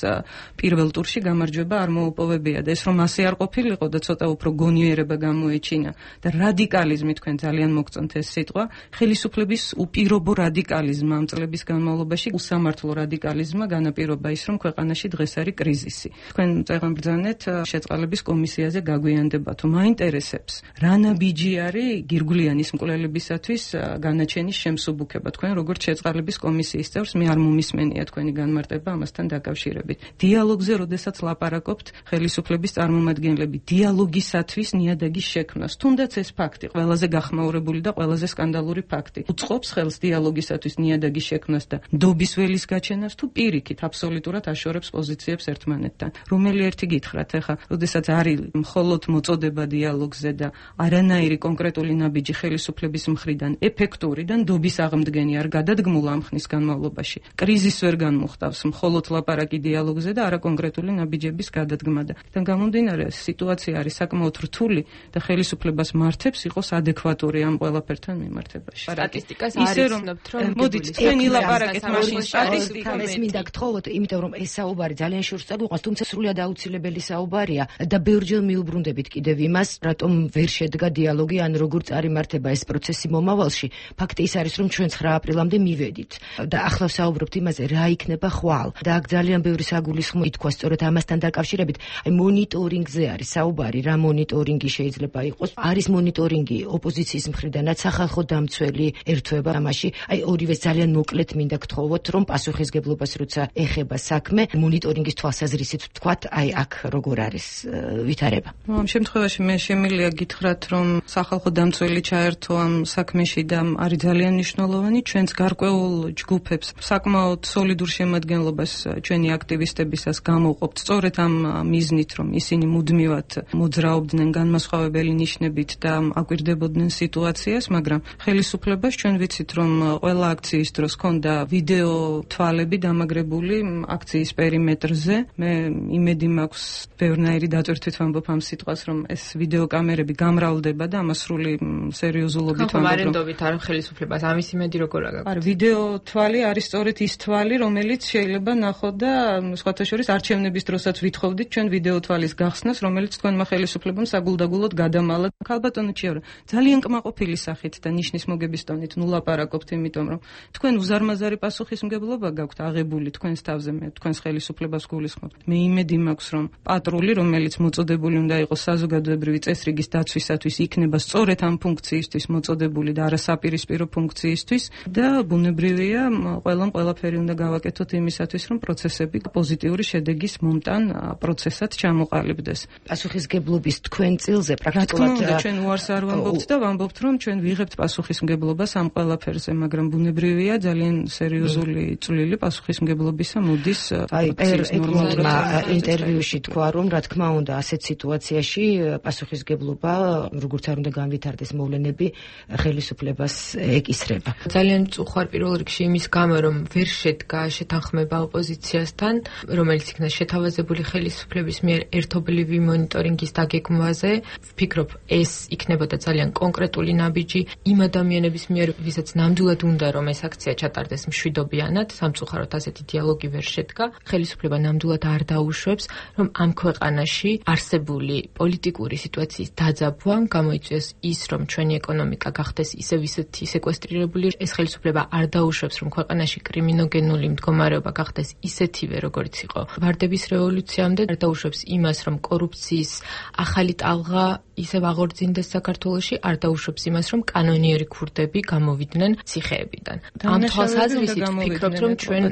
პირველ ტურში გამარჯვება არ მოუპოვებია და ეს რომ ასე არ ყოფილიყო და ცოტა უფრო გონიერება გამოეჩინა და რადიკალიზმი, თქვენ ძალიან მოგწონთ ეს სიტყვა, ხელისუფლების უპირობო რადიკალიზმი ამ წლების განმავლობაში, უსამართლო რადიკალიზმმა განაპირობა ის, რომ ქვეყანაში დღეს არის კრიზისი. თქვენ წეგან ბრძანეთ შეწყალების კომისიაზე გაგვიანდება, თუ მაინტერესებს რა ნაბიჯი არის გირგვლიანის მკვლელებისათვის განაჩენის შემსუბუქება. თქვენ როგორც შეწყალების კომისიის წევრს მე არ მომისმენია თქვენი განმარტება ამასთან დაკავშირებით. დიალოგზე, როდესაც ლაპარაკობთ, ხელისუფლების წარმომადგენლები დიალოგისათვის ნიადაგის შექმნას, თუნდაც ეს ფაქტი, ყველაზე გახმაურებული და ყველაზე სკანდალური ფაქტი, უწყობს ხელს დიალოგისათვის ნიადაგის შექმნას და ნდობის ველის გაჩენას, თუ პირიქით აბსოლუტურად აშორებს პოზიციებს ერთმანეთთან. რომელი ერთი გითხრათ, ახლა, როდესაც არის მხოლოდ მოწოდება დიალოგზე და არანაირი კონკრეტული ნაბიჯი ხელისუფლების მხრიდან ეფექტური და ნდობის აღმდგენი არ გადადგმულა ამ ხნის განმავლობაში. კრიზისს ვერ განმუხტავს მხოლოდ ლაპარაკი დიალოგზე და არა კონკრეტული ნაბიჯების გადადგმა და თან გამომდინარე სიტუაცია არის საკმაოდ რთული და ხელისუფლებას მართებს იყოს ადეკვატური ამ ყველაფერთან მიმართებაში. სტატისტიკას არ იცნობთ, რომ მოდით თქვენი ლაპარაკეთ მაშინ სტატისტიკას მინდა გთხოვოთ, იმიტომ რომ ეს საუბარი ძალიან შორს წაგვიყვანს, თუმცა სრულად აუცილებელი საუბარია და ბევრჯერ მიუბრუნდებით კიდევ იმას, რატომ ვერ შედგა დიალოგი ან როგორ წარიმართება ეს პროცესი მომავალში. ფაქტი ის არის, რომ ჩვენ ცხრა აპრილამდე მივედით და ახლა საუბრობთ იმაზე, რა იქნება ხვალ და აქ ძალიან ბევრი საგულისხმო ითქვა სწორედ ამასთან დაკავშირებით. აი მონიტორინგზე არის საუბარი, რა მონიტორინგი შეიძლება იყოს. არის მონიტორინგი ოპოზიციის მხრიდანაც, სახალხო დამცველი ერთვება ამაში. აი ორივეს ძალიან მოკლედ მინდა გთხოვოთ, რომ პასუხისგებლობას როცა ეხება საქმე, მონიტორინგის თვალსაზრისით ვთქვათ, აი აქ როგორ არის ვითარება. ამ შემთხვევაში მე შემიძლია გითხრათ, რომ სახალხო დამცველი ჩაერთო ამ საქმეში და არის ძალიან მნიშვნელოვანი ჩვენს გარკვეულ ჯგუფებს, საკმაოდ სოლიდურ შემადგენლობას ჩვენი აქტივისტებისას ხელისუფლებას გამოვყოფთ სწორედ ამ მიზნით, რომ ისინი მუდმივად მოძრაობდნენ განმასხვავებელი ნიშნებით და აკვირდებოდნენ სიტუაციას, მაგრამ ხელისუფლებას ჩვენ ვიცით, რომ ყველა აქციის დროს ჰქონდა ვიდეო თვალები დამაგრებული აქციის პერიმეტრზე. მე იმედი მაქვს, ბევრნაირი დატვირთვით ვამბობ ამ სიტყვას, რომ ეს ვიდეო კამერები გამრავლდება და ამას სრული სერიოზულობით ვამბობ, რომ ხომარენდობით არ ხელისუფლებას ამის იმედი როგორ აგაქვთ? არა, ვიდეო თვალი არის სწორედ ის თვალი, რომელიც შეიძლება ნახოთ და სხვათა შორის არჩევნების დროსაც ვითხოვდით ჩვენ ვიდეო თვალის გახსნას, რომელიც თქვენმა ხელისუფლებამ საგულდაგულოდ გადამალა. ქალბატონო ჩიავრა, ძალიან კმაყოფილი სახით და ნიშნის მოგების ტონით ნუ ლაპარაკობთ, იმიტომ რომ თქვენ უზარმაზარი პასუხისმგებლობა გაქვთ აღებული თქვენს თავზე, მე თქვენს ხელისუფლებას გულისხმობ. მე იმედი მაქვს, რომ პატრული, რომელიც მოწოდებული უნდა იყოს საზოგადოებრივი წესრიგის დაცვისათვის, იქნება სწორედ ამ ფუნქციისთვის მოწოდებული და არა საპირისპირო ფუნქციისთვის და ბუნებრივია, ყველამ ყველაფერი უნდა გავაკეთოთ იმისათვის, რომ პროცესები პოზიტიური შედეგის მომტან პროცესად ჩამოყალიბდეს. პასუხისმგებლობის თქვენ წილზე პრაქტიკულად ჩვენ უარს არ ვამბობთ და ვამბობთ, რომ ჩვენ ვიღებთ პასუხისმგებლობას ამ ყველაფერზე, მაგრამ ბუნებრივია ძალიან სერიოზული წვლილი პასუხისმგებლობისა მოდის პრაქტიკის ნორმალურმა ინტერვიუში თქვა, რომ რა თქმა უნდა ასეთ სიტუაციაში პასუხისმგებლობა როგორც არ უნდა განვითარდეს მოვლენები ხელისუფლებას ეკისრება. ძალიან მწუხარ პირველ რიგში იმის გამო, რომ ვერ შედგა შეთანხმება ოპოზიციასთან, რომელიც იქნა შეთავაზებული ხელისუფლების მიერ ერთობლივი მონიტორინგის დაგეგმვაზე. ვფიქრობ, ეს იქნებოდა ძალიან კონკრეტული ნაბიჯი იმ ადამიანების მიერ, ვისაც ნამდვილად უნდა რომ ეს აქცია ჩატარდეს მშვიდობიანად, სამწუხაროდ ასეთი დიალოგი ვერ შედგა. ხელისუფლება ნამდვილად არ დაუშვებს, რომ ამ ქვეყანაში არსებული პოლიტიკური სიტუაციის დაძაბვამ გამოიწვიოს ის, რომ ჩვენი ეკონომიკა გახდეს ისევ ისეთი სეკვესტრირებული. ეს ხელისუფლება არ დაუშვებს, რომ ქვეყანაში კრიმინოგენული მდგომარეობა გახდეს ისეთივე, როგორც იყო ვარდების რევოლუციამდე. არ დაუშვებს იმას, რომ კორუფციის ახალი ტალღა ისევ აღორძინდეს საქართველოში. არ დაუშვებს იმას, რომ კანონიერი ქურდები გამოვიდნენ ციხეებიდან. ამ თვალსაზრისით ვფიქრობთ, რომ ჩვენ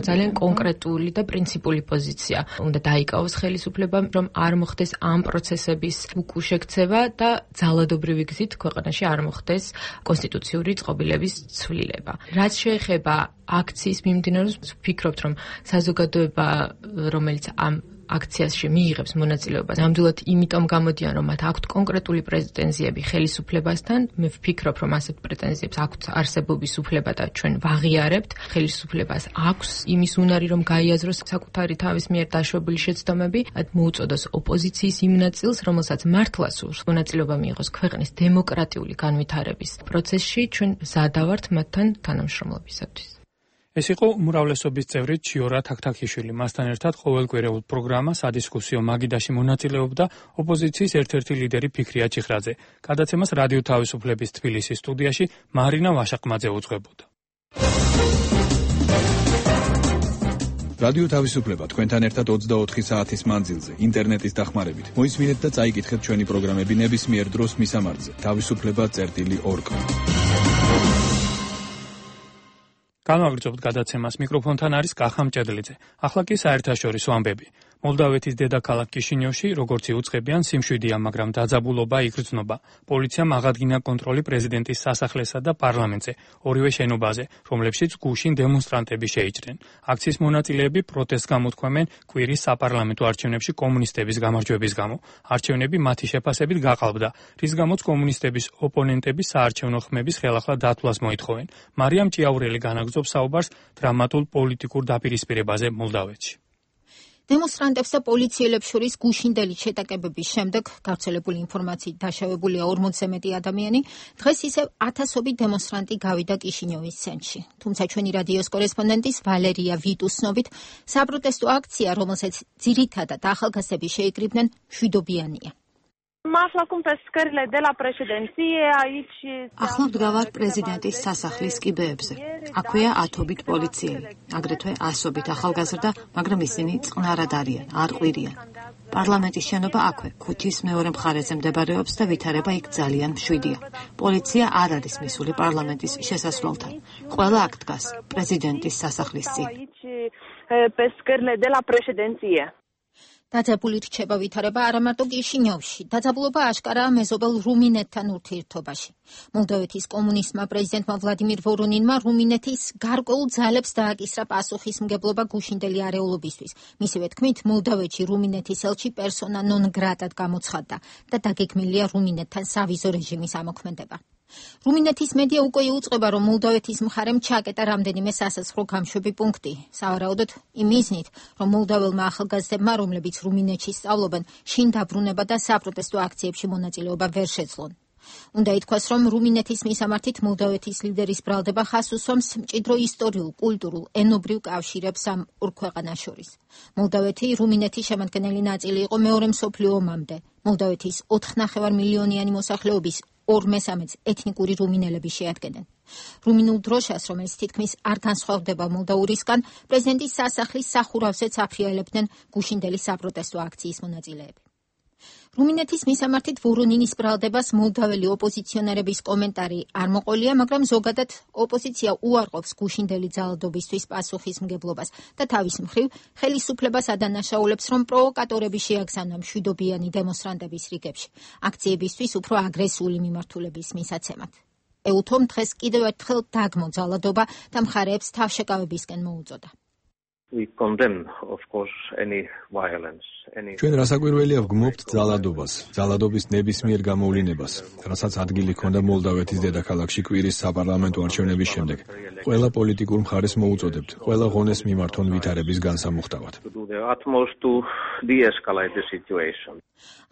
ძალიან კონკრეტული და პრინციპული პოზიცია უნდა დაიკავოს ხელისუფლებამ, რომ არ მოხდეს ამ პროცესების უკუშექცევა და ძალადობრივი გზით ქვეყანაში არ მოხდეს კონსტიტუციური წყობილების ცვლილება. რაც შეეხება აქციის მიმდინარეობას, ვფიქრობთ, რომ საზოგადოება, რომელიც ამ აქციაში მიიღებს მონაწილეობას, ნამდვილად იმიტომ გამოდიან, რომ მათ აქვთ კონკრეტული პრეტენზიები ხელისუფლებასთან. მე ვფიქრობ, რომ ასეთ პრეტენზიებს აქვთ არსებობის უფლება და ჩვენ ვაღიარებთ. ხელისუფლებას აქვს იმის უნარი, რომ გაიაზროს საკუთარი თავის მიერ დაშვებული შეცდომები, მოუწოდოს ოპოზიციის იმ ნაწილს, რომელსაც მართლა სურს მონაწილეობა მიიღოს ქვეყნის დემოკრატიული განვითარების პროცესში. ჩვენ მზადა ვართ მათთან თანამშრომლობისათვის. ეს იყო უმრავლესობის წევრი ჩიორა თაქთაქიშვილი. მასთან ერთად ყოველკვირეულ პროგრამა სადისკუსიო მაგიდაში მონაწილეობდა ოპოზიციის ერთ-ერთი ლიდერი ფიქრია ჩიხრაძე. გადაცემას რადიო თავისუფლების თბილისის სტუდიაში მარინა ვაშაყმაძე უძღვებოდა. რადიო თავისუფლება თქვენთან ერთად ოცდაოთხი საათის მანძილზე ინტერნეტის დახმარებით. მოისმინეთ და წაიკითხეთ ჩვენი პროგრამები ნებისმიერ დროს მისამართზე თავისუფლება წერტილი ორ. განვაგრძობთ გადაცემას. მიკროფონთან არის კახა მჭედლიძე. ახლა კი საერთაშორისო ამბები. მოლდავეთის დედაქალაქ კიშინიოვში, როგორც იუწყებიან, სიმშვიდეა, მაგრამ დაძაბულობა იგრძნობა. პოლიციამ აღადგინა კონტროლი პრეზიდენტის სასახლესა და პარლამენტზე, ორივე შენობაზე, რომლებშიც გუშინ დემონსტრანტები შეიჭრნენ. აქციის მონაწილეები პროტესტს გამოთქვამენ კვირის საპარლამენტო არჩევნებში კომუნისტების გამარჯვების გამო. არჩევნები მათი შეფასებით გაყალბდა, რის გამოც კომუნისტების ოპონენტები საარჩევნო ხმების ხელახლა დათვლას მოითხოვენ. მარიამ ჭიაურელი განაგრძობს საუბარს დრამატულ პოლიტიკურ დაპირისპირებაზე მოლდავეთში. დემონსტრანტებს და პოლიციელებს შორის გუშინდელი შეტაკებების შემდეგ გავრცელებული ინფორმაციით დაშავებულია ორმოცზე მეტი ადამიანი. დღეს ისევ ათასობით დემონსტრანტი გავიდა კიშინიოვის ცენტრში. თუმცა ჩვენი რადიოს კორესპონდენტის ვალერია ვიტუს ცნობით, საპროტესტო აქცია, რომელსაც ძირითადად ახალგაზრდები შეიკრიბნენ, მშვიდობიანია. ახლა ვდგავარ პრეზიდენტის სასახლის კიბეებზე. აქვეა ათობით პოლიციელი, აგრეთვე ასობით ახალგაზრდა, მაგრამ ისინი წყნარად არიან, არ ყვირიან. პარლამენტის შენობა აქვე, ქუთის მეორე მხარეზე მდებარეობს და ვითარება იქ ძალიან მშვიდია. პოლიცია არ არის მისული პარლამენტის შესასვლელთან. ყველა აქ დგას პრეზიდენტის სასახლის წინ. დაძაბული რჩება ვითარება არა მარტო კიშინიოვში, დაძაბულობა აშკარაა მეზობელ რუმინეთთან ურთიერთობაში. მოლდოვეთის კომუნისტმა პრეზიდენტმა ვლადიმირ ვორონინმა რუმინეთის გარკვეულ ძალებს დააკისრა პასუხისმგებლობა გუშინდელი არეულობისთვის. მისივე თქმით, მოლდოვეთში რუმინეთის ელჩი პერსონა ნონ გრატად გამოცხადდა და დაგეგმილია რუმინეთთან სავიზო რეჟიმის ამოქმედება. რუმინეთის მედია უკვე იუწყება, რომ მოლდოვეთის მხარემ ჩაკეტა რამდენიმე სასაცხრო გამშვები პუნქტი. სავარაუდოდ იმ მიზნით, რომ მოლდოველმა ახალგაზრდებმა, რომლებიც რუმინეთში სწავლობენ, შინ დაბრუნება და საპროტესტო აქციებში მონაწილეობა ვერ შეძლონ. უნდა ითქვას, რომ რუმინეთის მისამართით მოლდოვეთის ლიდერის ბრალდება ხაზს უსვამს მჭიდრო ისტორიულ, კულტურულ, ენობრივ კავშირებს ამ ორ ქვეყანას შორის. მოლდოვეთი რუმინეთის შემადგენელი ნაწილი იყო მეორე მსოფლიო ომამდე. მოლდოვეთის ოთხნახევარ მილიონიანი მოსახლეობის ორ მესამედს ეთნიკური რუმინელები შეადგენენ. რუმინულ დროშას, რომელიც თითქმის არ განსხვავდება მოლდოურისგან, პრეზიდენტის სასახლის სახურავზეც აფრიალებდნენ გუშინდელი საპროტესტო აქციის მონაწილეები. რუმინეთის მისამართით ვორონინის ბრალდებას მოლდოველი ოპოზიციონერების კომენტარი არ მოყოლია, მაგრამ ზოგადად ოპოზიცია უარყოფს გუშინდელი ძალადობისთვის პასუხისმგებლობას და თავის მხრივ ხელისუფლებას ადანაშაულებს, რომ პროვოკატორები შეაგზავნა მშვიდობიანი დემონსტრანტების რიგებში, აქციებისთვის უფრო აგრესიული მიმართულების მისაცემად. ეუთომ დღეს კიდევ ერთხელ დაგმო ძალადობა და მხარეებს თავშეკავებისკენ მოუწოდა. We condemn, of course, any violence. Any... ჩვენ რასაკვირველია ვგმობთ ძალადობას, ძალადობის ნებისმიერ გამოვლინებას, რასაც ადგილი ჰქონდა მოლდოვეთის დედაქალაქში კვირის საპარლამენტო არჩევნების შემდეგ. ყველა პოლიტიკურ მხარეს მოუწოდებთ, ყველა ღონეს მიმართონ ვითარების განსამუხტავად.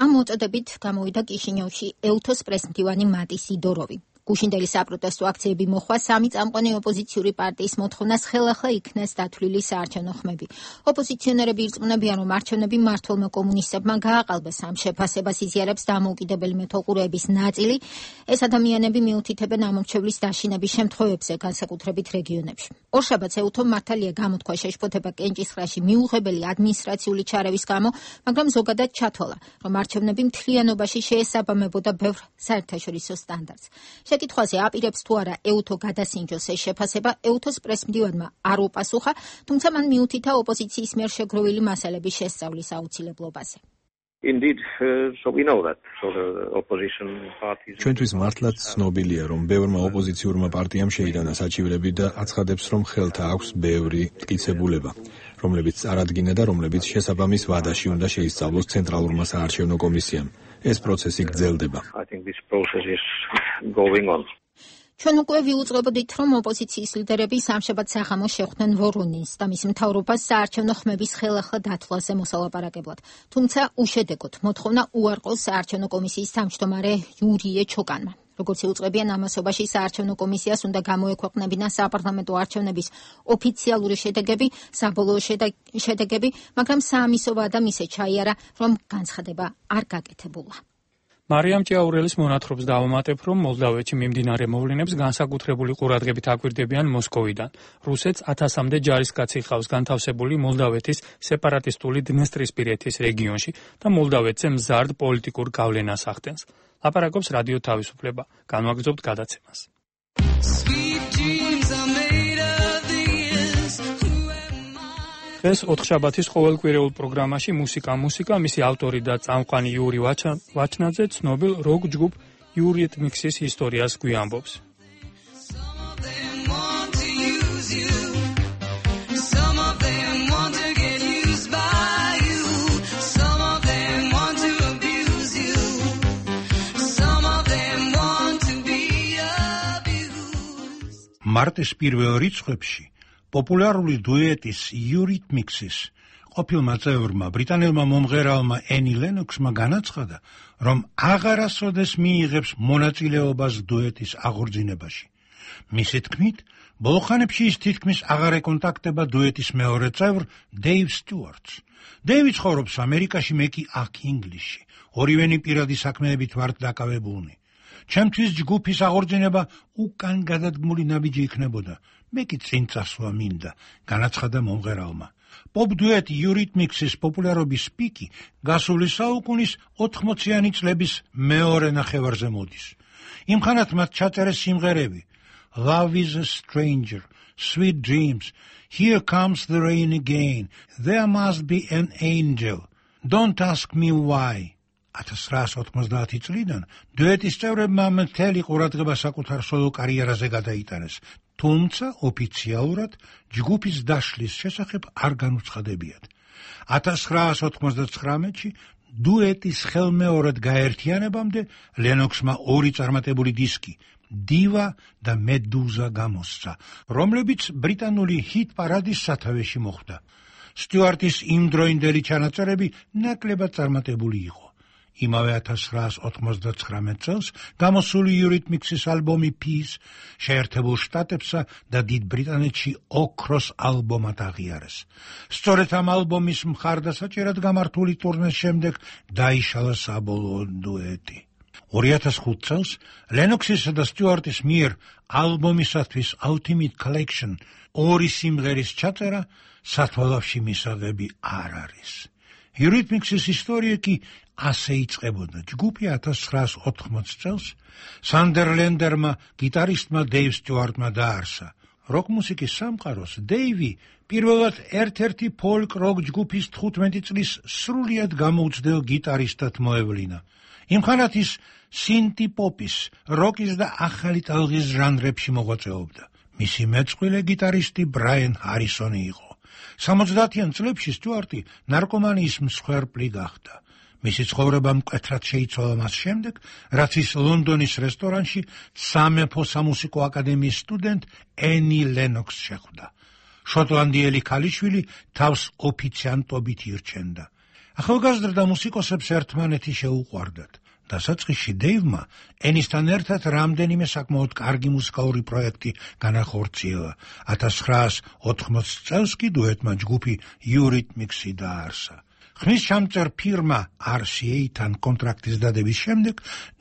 ამ მოწოდებით გამოვიდა კიშინიოვში ეუთოს პრესმდივანი მატი სიდოროვი. გუშინდელი საპროტესტო აქციები მოხვა სამი წამყვანი ოპოზიციური პარტიის მოთხოვნას ხელახლა იქნეს დათვლილი საარჩევნო ხმები. ოპოზიციონერები ირწმუნებიან, რომ არჩევნები მმართველმა კომუნისტებმა გააყალბეს ამ შეფასებას იზიარებს დამოუკიდებელი მეთვალყურეების ნაწილი. ეს ადამიანები მიუთითებენ ამომრჩევლის დაშინების შემთხვევებზე, განსაკუთრებით რეგიონებში. ორშაბათს ეუთომ მართალია გამოთქვა შეშფოთება კენჭისყრაში მიუღებელი ადმინისტრაციული ჩარევის გამო, მაგრამ ზოგადად ჩათვალა, რომ არჩევნები მთლიანობაში შეესაბამებოდა ბევრ საერთაშორისო სტანდარტს. შეკითხვაზე აპირებს თუ არა ეუთო გადასინჯოს ეს შეფასება, ეუთოს პრესმდივანმა არ უპასუხა, თუმცა მან მიუთითა ოპოზიციის მიერ შეგროვილი მასალების შესწავლის აუცილებლობაზე. Indeed, uh, so we know that. So the opposition parties... ჩვენთვის მართლაც ცნობილია, რომ ბევრმა ოპოზიციურმა პარტიამ შეიტანა საჩივრები და აცხადებს, რომ ხელთა აქვს ბევრი მტკიცებულება, რომლებიც წარადგინა და რომლებიც შესაბამის ვადაში უნდა შეისწავლოს ცენტრალურმა საარჩევნო კომისიამ. ეს პროცესი გრძელდება. I think this process is going on. ჩვენ უკვე ვიუწყებოდით, რომ ოპოზიციის ლიდერები სამშაბათ საღამოს შეხვდნენ ვორონინს და მის მთავრობას საარჩევნო ხმების ხელახლა დათვლაზე მოსალაპარაკებლად. თუმცა უშედეგოდ მოთხოვნა უარყოს საარჩევნო კომისიის თავმჯდომარე იურიე ჩოკანმა. როგორც იუწყებიან ამასობაში საარჩევნო კომისიას უნდა გამოექვეყნებინა საპარლამენტო არჩევნების ოფიციალური შედეგები, საბოლოო შედეგები, მაგრამ საამისო ვადა მისე ჩაიარა, რომ განცხადება არ გაკეთებულა. მარიამ ჭიაურელის მონათხრობს დავამატებ, რომ მოლდოვეთში მიმდინარე მოვლენებს განსაკუთრებული ყურადღებით აკვირდებიან მოსკოვიდან. რუსეთს ათასამდე ჯარისკაცი ჰყავს განთავსებული მოლდოვეთის სეპარატისტული დნესტრისპირეთის რეგიონში და მოლდოვეთზე მზარდ პოლიტიკურ გავლენას ახდენს. ლაპარაკობს რადიო თავისუფლება. განვაგრძობთ გადაცემას. დღეს ოთხშაბათის ყოველკვირეულ პროგრამაში მუსიკა მუსიკა მისი ავტორი და წამყვანი იური ვაჩნაძე ცნობილ როკ ჯგუფ იურიტმიქსის ისტორიას გვიამბობს. მარტის პირველ რიცხვებში პოპულარული დუეტის იურიტმიქსის ყოფილმა წევრმა ბრიტანელმა მომღერალმა ენი ლენოქსმა განაცხადა, რომ აღარასოდეს მიიღებს მონაწილეობას დუეტის აღორძინებაში. მისი თქმით, ბოლო ხანებში ის თითქმის აღარ ეკონტაქტება დუეტის მეორე წევრ დეივ სტიუარტს. დეივი ცხოვრობს ამერიკაში, მე კი აქ ინგლისში. ორივენი პირადი საქმეებით ვართ დაკავებულნი. ჩემთვის ჯგუფის აღორძინება უკან გადადგმული ნაბიჯი იქნებოდა. მე კი წინ წასვლა მინდა, განაცხადა მომღერალმა. პოპ დუეტ იურიტმიქსის პოპულარობის პიკი გასული საუკუნის ოთხმოციანი წლების მეორე ნახევარზე მოდის. იმხანად მათ ჩაწერეს სიმღერები Love is a stranger, Sweet dreams, Here comes the rain again, There must be an angel Don't Ask Me Why. ათას რვაასი ოთხმოცდაათი წლიდან დუეტის წევრებმა მთელი ყურადღება საკუთარ სოლო კარიერაზე გადაიტანეს, თუმცა ოფიციალურად ჯგუფის დაშლის შესახებ არ განუცხადებიათ. ათას რვაასი ოთხმოცდათხრამეტში დუეტის ხელმეორედ გაერთიანებამდე ლენოქსმა ორი წარმატებული დისკი დივა და მედუზა გამოსცა, რომლებიც ბრიტანული ჰიტ პარადის სათავეში მოხვდა. სტიუარტის იმდროინდელი ჩანაწერები ნაკლებად წარმატებული იყო. იმავე ათას რვაასი ოთხმოცდათხრამეტ წელს გამოსული Eurythmics-ის ალბომი Peace შეერთებულ შტატებსა და დიდ ბრიტანეთში ოქროს ალბომად აღიარეს. სწორედ ამ ალბომის მხარდასაჭერად გამართული ტურნეს შემდეგ დაიშალა საბოლოო დუეტი. ორი ათას ხუთ წელს ლენოქსისა და სტიუარტის მიერ ალბომისათვის Ultimate Collection ორი სიმღერის ჩაწერა სათვალავში მისაღები არ არის. Eurythmics-ის ისტორია კი ასე იწყებოდა. ჯგუფი ათას ცხრაასი ოთხმოცი წელს სანდერლენდერმა გიტარისტმა დეივ სტიუარტმა დაარსა. როკ მუსიკის სამყაროს დეივი პირველად ერთ-ერთი ფოლკ როკ ჯგუფის თხუთმეტი წლის სრულიად გამოუცდელ გიტარისტად მოევლინა. იმხანად ის სინთი პოპის, როკის და ახალი ტალღის ჟანრებში მოღვაწეობდა. მისი მეწყვილე გიტარისტი ბრაიან ჰარისონი იყო. სამოცდაათიან წლებში სტიუარტი ნარკომანიის მსხვერპლი გახდა. მისი ცხოვრება მკვეთრად შეიცვალა მას შემდეგ, რაც ის ლონდონის რესტორანში სამეფო სამუსიკო აკადემიის სტუდენტ ენი ლენოქს შეხვდა. შოტლანდიელი ქალიშვილი თავს ოფიციანტობით ირჩენდა. ახალგაზრდა მუსიკოსებს ერთმანეთი შეუყვარდათ. დასაწყისში დეივმა ენისთან ერთად რამდენიმე საკმაოდ კარგი მუსიკალური პროექტი განახორციელა. ათას ცხრაასი ოთხმოცი წელს კი დუეტმა ჯგუფი Eurythmics-ი დაარსა. ხმის ჩამწერ ფირმა არ სი ეი-თან კონტრაქტის დადების შემდეგ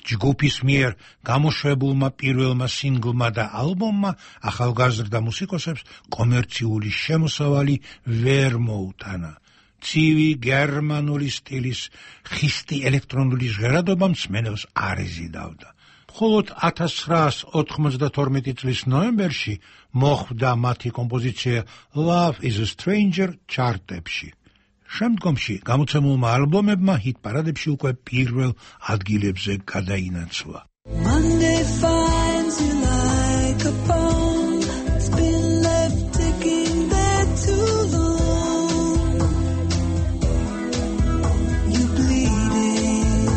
ჯგუფის მიერ გამოშვებულმა პირველმა სინგლმა და ალბომმა ახალგაზრდა მუსიკოსებს კომერციული შემოსავალი ვერ მოუტანა. ცივი გერმანული სტილის ხისტი ელექტრონული ჟღერადობა მსმენელს არ ეზიდავდა. მხოლოდ ათას ცხრაასი ოთხმოცდათორმეტი წლის ნოემბერში მოხვდა მათი კომპოზიცია Love is a Stranger ჩარტებში. შემდგომში გამოცემულმა ალბომებმა ჰიტ პარადებში უკვე პირველ ადგილებზე გადაინაცვლა. Monday finds you like a poem that's been left ticking there too long. You bleeding.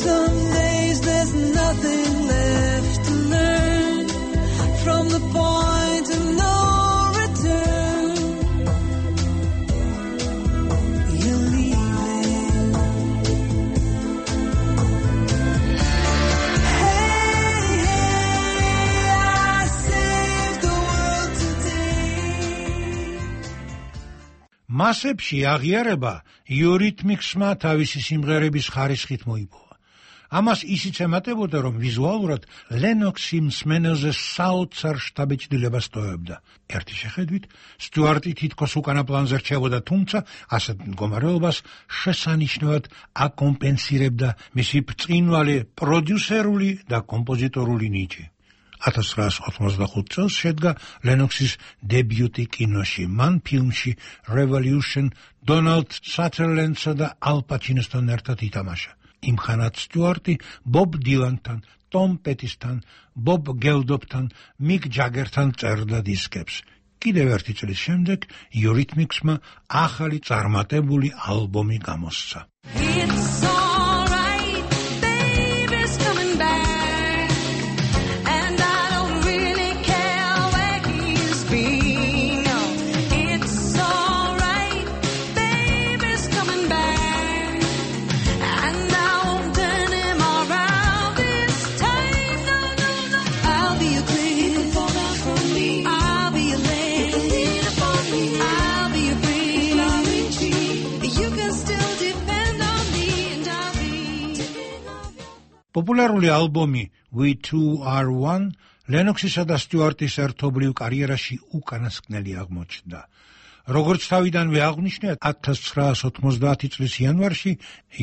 Some days there's nothing left to learn from the point of no მასებში აღიარება Eurythmics-მა თავისი სიმღერების ხარისხით მოიპოვა. ამას ისიც ემატებოდა, რომ ვიზუალურად ლენოქსი მსმენელზე საოცარ შთაბეჭდილებას ტოვებდა. ერთი შეხედვით სტიუარტი თითქოს უკანა პლანზე რჩებოდა, თუმცა ასეთ მდგომარეობას შესანიშნავად აკომპენსირებდა მისი ბრწყინვალე პროდიუსერული და კომპოზიტორული ნიჭი. ათას ცხრაასი ოცდახუთ წელს შედგა ლენოქსის დებიუტი კინოში. მან ფილმში Revolution დონალდ სათერლენდსა და ალ პაჩინოსთან ერთად ითამაშა. იმხანად სტიუარტი ბობ დილანთან, ტომ პეტისთან, ბობ გელდოფთან, მიკ ჯაგერთან წერდა დისკებს. კიდევ ერთი წლის შემდეგ Eurythmics-მა ახალი წარმატებული ალბომი გამოსცა. პოპულარული ალბომი We Two Are One ლენოქსისა და სტიუარტის ერთობლივ კარიერაში უკანასკნელი აღმოჩნდა. როგორც თავიდანვე აღნიშნე, ათას ცხრაასი ოცდაათი წლის იანვარში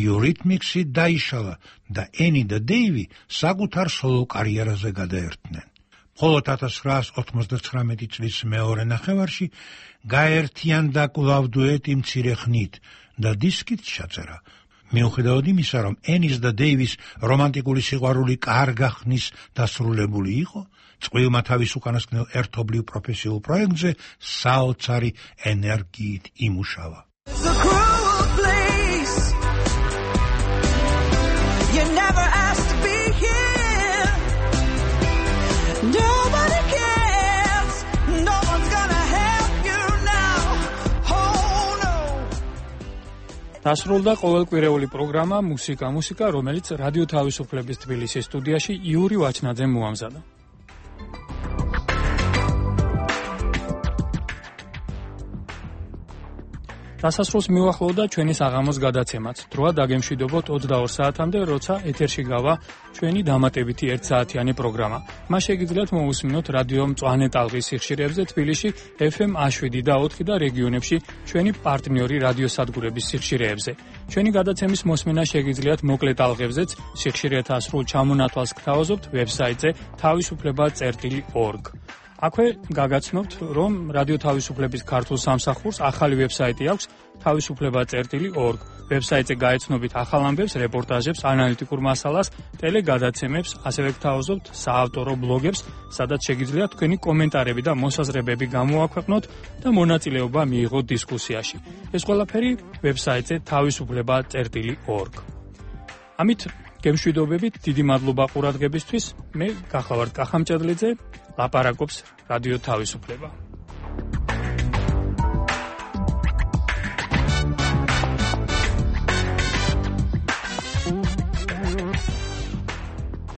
Eurythmics-ი დაიშალა და ენი და დეივი საკუთარ სოლო კარიერაზე გადაერთნენ. მხოლოდ ათას ცხრაას ოთხმოცდათხრამეტი წლის მეორე ნახევარში გაერთიანდა კვლავ დუეტი მცირე ხნით და დისკით ჩაწერა. მიუხედავად იმისა, რომ ენის და დეივის რომანტიკული სიყვარული კარგა ხნის დასრულებული იყო, წყვილმა თავის უკანასკნელ ერთობლივ პროფესიულ პროექტზე საოცარი ენერგიით იმუშავა. დასრულდა ყოველკვირეული პროგრამა მუსიკა მუსიკა, რომელიც რადიო თავისუფლების თბილისის სტუდიაში იური ვაჩნაძემ მოამზადა. დასასრულს მივახლოვდა ჩვენი საღამოს გადაცემაც. დროა დაგემშვიდობოთ ოცდაორ საათამდე, როცა ეთერში გავა ჩვენი დამატებითი ერთ საათიანი პროგრამა. მას შეგიძლიათ მოусმინოთ რადიო მწვანე ტალღის სიხშირეებზე თბილისში ეფ ემ შვიდი და ოთხი და რეგიონებში ჩვენი პარტნიორი რადიოსადგურების სიხშირეებზე. ჩვენი გადაცემის მოსმენა შეგიძლიათ მოკლე ტალღებზეც სიხშირეთა სრულ ჩამონათვალს გთავაზობთ ვებსაიტზე თავისუფლება წერტილი ორგ. აქვე გაგაცნობთ, რომ რადიო თავისუფლების ქართულ სამსახურს ახალი ვებსაიტი აქვს თავისუფლება წერტილი ორგ. ვებსაიტზე გაეცნობით ახალ ამბებს, რეპორტაჟებს, ანალიტიკურ მასალას, ტელეგადაცემებს, ასევე გთავაზობთ საავტორო ბლოგებს, სადაც შეგიძლიათ თქვენი კომენტარები და მოსაზრებები გამოაქვეყნოთ და მონაწილეობა მიიღოთ დისკუსიაში. ეს ყველაფერი ვებსაიტზე თავისუფლება წერტილი ორგ. ამით გემშვიდობებით, დიდი მადლობა ყურადღებისთვის. მე გახლავართ კახამჭედლიძე, ლაპარაკობს რადიო თავისუფლება.